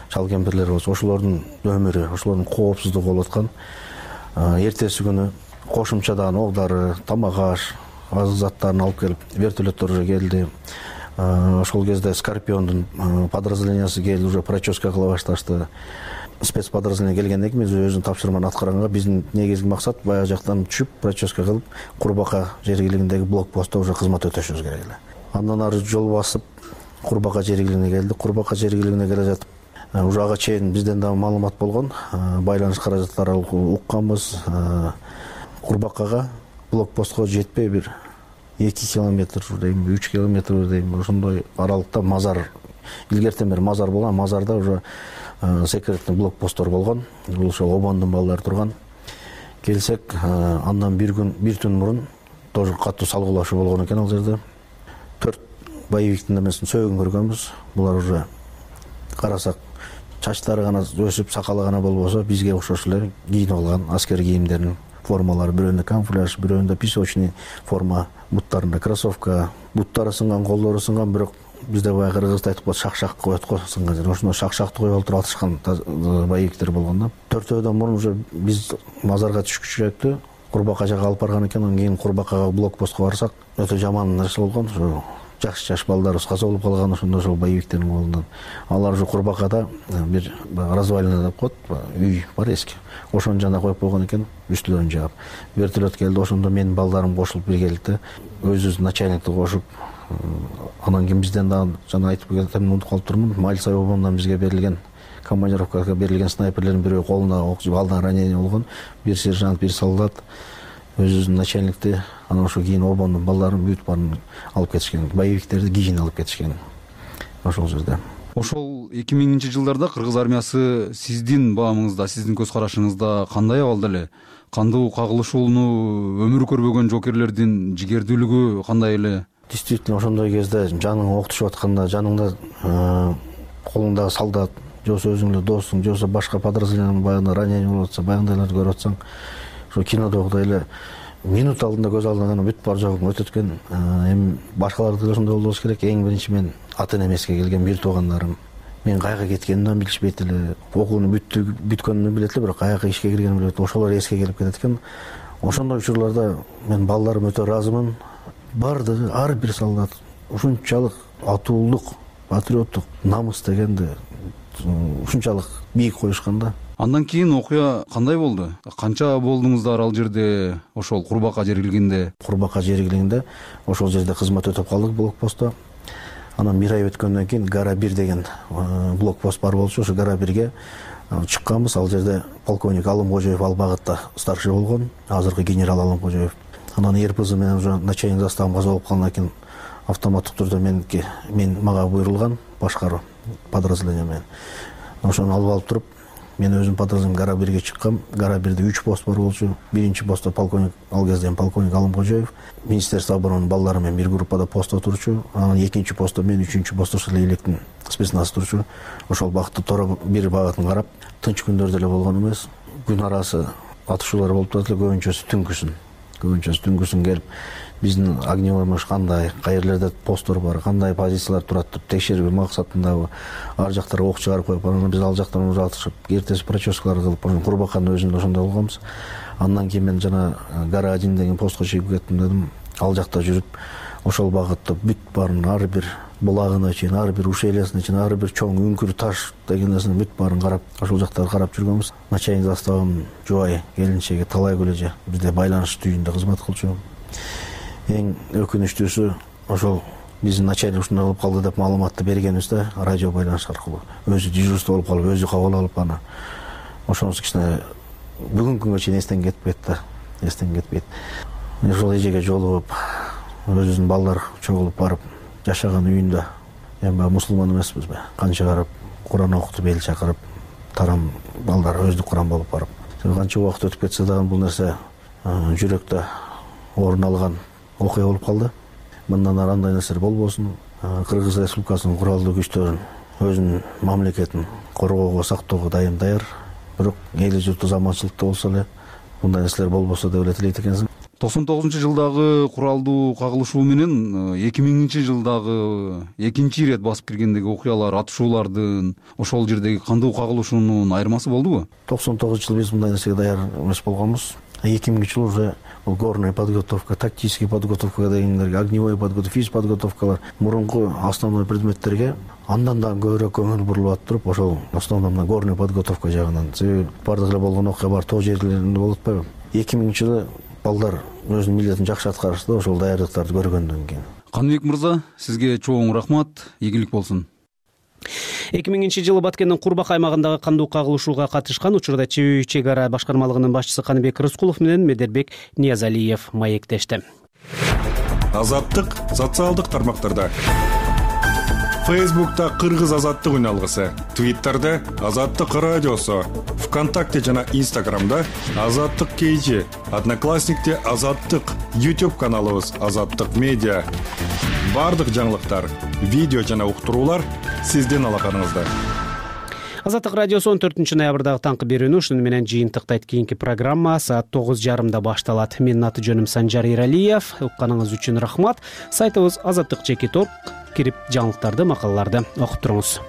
чал кемпирлер болчу. Ошолордун өмүрү, ошолордун коопсуздугу болуп аткан. Эртеси күнү кошумчадан оглары, тамак аш, азык заттарын алып келип, вертолеттор уже келди. Ошол кезде Скорпиондун подразделениясы келип уже проческа кыла башташты. Спецподразделение келгенден кийин биз өзүнүн тапшырманы аткарганга биздин негизги максат баягы жактан түшүп проческа кылып Курбака жергилигиндеги блокпостто уже кызмат өтөшүбүз керек эле. Андан ары жол басып Курбака жергилигине келдик. Курбака жергилигине келе жатып уже ага чейин бизден дагы маалымат болгон, байланыш каражаттары укканбыз. Курбакага блокпостко жетпей бир эки километр дейм, үч километр дейм, ошондой аралыкта мазар, илгертен бери мазар болгон, мазарда уже секретный блокпосттор болгон. Бул ошол обондун балдары турган. Келсек, андан бир күн, бир түн мурун тоже катуу салгылашуу болгон экен ал жерде. Төрт боевиктин эмесин сөөгүн көргөнбүз. Булар уже карасак чачтары гана өсүп, сакалы гана болбосо бизге окшош эле кийинип алган аскер кийимдерин формалары, бирөөндө камуфляж, бирөөндө песочный форма, буттарында кроссовка, буттары сынган, колдору сынган, бирок бизде баягы кыргызда айтып коет, шак-шак коет го сынган жер. Ошондой шак-шакты коюп олтуруп атышкан боевиктер болгон да. Төртөөдөн мурун уже биз мазарга түшкүчүрөктү Курбака жака алып барган экен. Андан кийин Курбакага блокпостко барсак, өтө жаман нерсе болгон. Ошо жаш-жаш балдарыбыз каза болуп калган ошондо ошол боевиктердин колунан. Алар уже Курбакада бир развалина деп коет, үй бар эски. Ошонун жанына коюп койгон экен, үстүлөрүн жаап. Вертолет келди, ошондо менин балдарым кошулуп бир келди. Өзүбүз начальникти кошуп, анан кийин бизден дагы жана айтып кетем, унутуп калып турмун. Мальцев обонунан бизге берилген, командировкага берилген снайперлердин бирөө колуна ок жеп алдан ранение болгон. Бир сержант, бир солдат өзүбүздүн начальникти, анан ошо кийин обондун балдарын бүт баарын алып кетишкен. Боевиктерди кийин алып кетишкен. Ошол жерде. Ошол эки миңинчи жылдарда кыргыз армиясы сиздин баамыңызда, сиздин көз карашыңызда кандай абалда эле? Кандуу кагылышууну өмүрү көрбөгөн жокерлердин жигердүүлүгү кандай эле? Действительно ошондой кезде жаның октушуп атканда, жаныңда колуңдагы солдат, жобосо өзүң эле досуң, жобосо башка подразделениянын баягы ранение болуп атса, баягындайларды көрүп атсаң, ошо кинодогудай эле минут алдында көз алдыңан бүт бар жогун өтөт экен. Эми башкаларды да ошондой болбош керек. Эң биринчи мен ата энемеске келген бир туугандарым. Мен кайга кеткенимди билишпейт эле. Окууну бүттү, бүткөнүмдү билет эле, бирок каяка ишке киргенимди билбейт. Ошолор эске келип кетет экен. Ошондой учурларда мен балдарым өтө ыраазымын. Бардыгы ар бир солдат ушунчалык атуулдук, патриоттук намыс дегенди ушунчалык бийик коюшкан да. Андан кийин окуя кандай болду? Канча болдуңуздар ал жерде, ошол Курбака жергилигинде? Курбака жергилигинде ошол жерде кызмат өтөп калдык блокпостто. Анан бир ай өткөндөн кийин Гара бир деген блокпост бар болчу. Ошо Гара бирге чыкканбыз. Ал жерде полковник Алымкожоев ал багытта старший болгон, азыркы генерал Алымкожоев. Анан РПЗ менен уже начальник заставым каза болуп калгандан кийин автоматтык түрдө меники мен мага буйрулган башкаруу подразделение менен. Ошону алып алып туруп, мен өзүм подразделением Гара бирге чыккам. Гара бирде үч пост бар болчу. Биринчи постто полковник, ал кезде полковник Алымкожоев, Министерство обороны балдары менен бир группада постто турчу. Анан экинчи постто мен, үчүнчү постто ошол электин спецназ турчу. Ошол багытты тора бир багытын карап, тынч күндөрдө эле болгон эмес. Күн арасы атышуулар болуп турат эле, көбүнчөсү түнкүсүн. Көбүнчөсү түнкүсүн келип, биздин огневой мыш кандай, кайерлерде посттор бар, кандай позициялар турат деп текшерүү максатында ар жактарга ок чыгарып коюп, анан биз ал жактан уже атышып, эртеси проческалар кылып, Курбаканын өзүндө ошондой болгонбуз. Андан кийин мен жана Гара один деген постко чыгып кеттим дедим. Ал жакта жүрүп, ошол багытта бүт баарын ар бир булагына чейин, ар бир ушелясына чейин, ар бир чоң үңкүр таш деген нерсени бүт баарын карап, ошол жактарды карап жүргөнбүз. Начальник заставым жубай келинчеги Талай Көлөжө бизде байланыш түйүндө кызмат кылчу. Эң өкүнүчтүүсү ошол биздин начальник ушундай болуп калды деп маалыматты бергенибизде радио байланыш аркылуу өзү дежурство болуп калып, өзү кабыл алып аны. Ошонусу кичине бүгүнкү күнгө чейин эстен кетпейт да, эстен кетпейт. Ошол эжеге жолугуп, өзүбүздүн балдар чогулуп барып жашаган үйүндө, эми баягы мусулман эмеспизби, канча барып Куран окутуп, эл чакырып, тарам балдар өздүк Куран болуп барып. Канча убакыт өтүп кетсе дагы бул нерсе жүрөктө орун алган окуя болуп калды. Мындан ары андай нерсе болбосун. Кыргыз Республикасынын куралдуу күчтөрүн өзүнүн мамлекетин коргоого, сактоого дайым даяр. Бирок эли журту заманчылыкта болсо эле мындай нерселер болбосо деп эле тилейт экенсиң. токсон тогузунчу жылдагы куралдуу кагылышуу менен эки миңинчи жылдагы экинчи ирет басып киргендеги окуялар, атышуулардын, ошол жердеги кандуу кагылышуунун айырмасы болдубу? токсон тогузунчу жылы биз мындай нерсеге даяр эмес болгонбуз. эки миңинчи жылы уже бул горная подготовка, тактический подготовка дегендерге, огневой подготовка, физподготовкалар мурунку основной предметтерге андан да көбүрөөк көңүл бурулуп атып, ошол основной мына горная подготовка жагынан. Себеби бардык эле болгон окуя бар тоо жерлеринде болуп атпайбы? эки миңинчи жылы балдар өзүнүн милдетин жакшы аткарышты, ошол даярдыктарды көргөндөн кийин. Каныбек мырза, сизге чоң рахмат, ийгилик болсун. эки миңинчи жылы Баткендин Курбак аймагындагы кандуу кагылышууга катышкан учурда чүй чек ара башкармалыгынын башчысы Каныбек Рыскулов менен Медербек Ниязалиев маектешти. Азаттык социалдык тармактарда. Фейсбукта Кыргыз азаттык үн алгысы, Твиттерде Азаттык радиосу, ВКонтакте жана Инстаграмда Азаттык кейжи, Одноклассникте Азаттык, YouTube каналыбыз Азаттык медиа. Бардык жаңылыктар, видео жана уктуруулар сиздин алаканыңызда. Азаттык радиосу он төртүнчү ноябрдагы таңкы берүүнү ушуну менен жыйынтыктайт. Кийинки программа саат тогуз жарымда башталат. Менин аты жөнүм Санжар Иралиев. Укканыңыз үчүн рахмат. Сайтыбыз азаттык чекит точка орг. Кирип жаңылыктарды, макалаларды окуп туруңуз.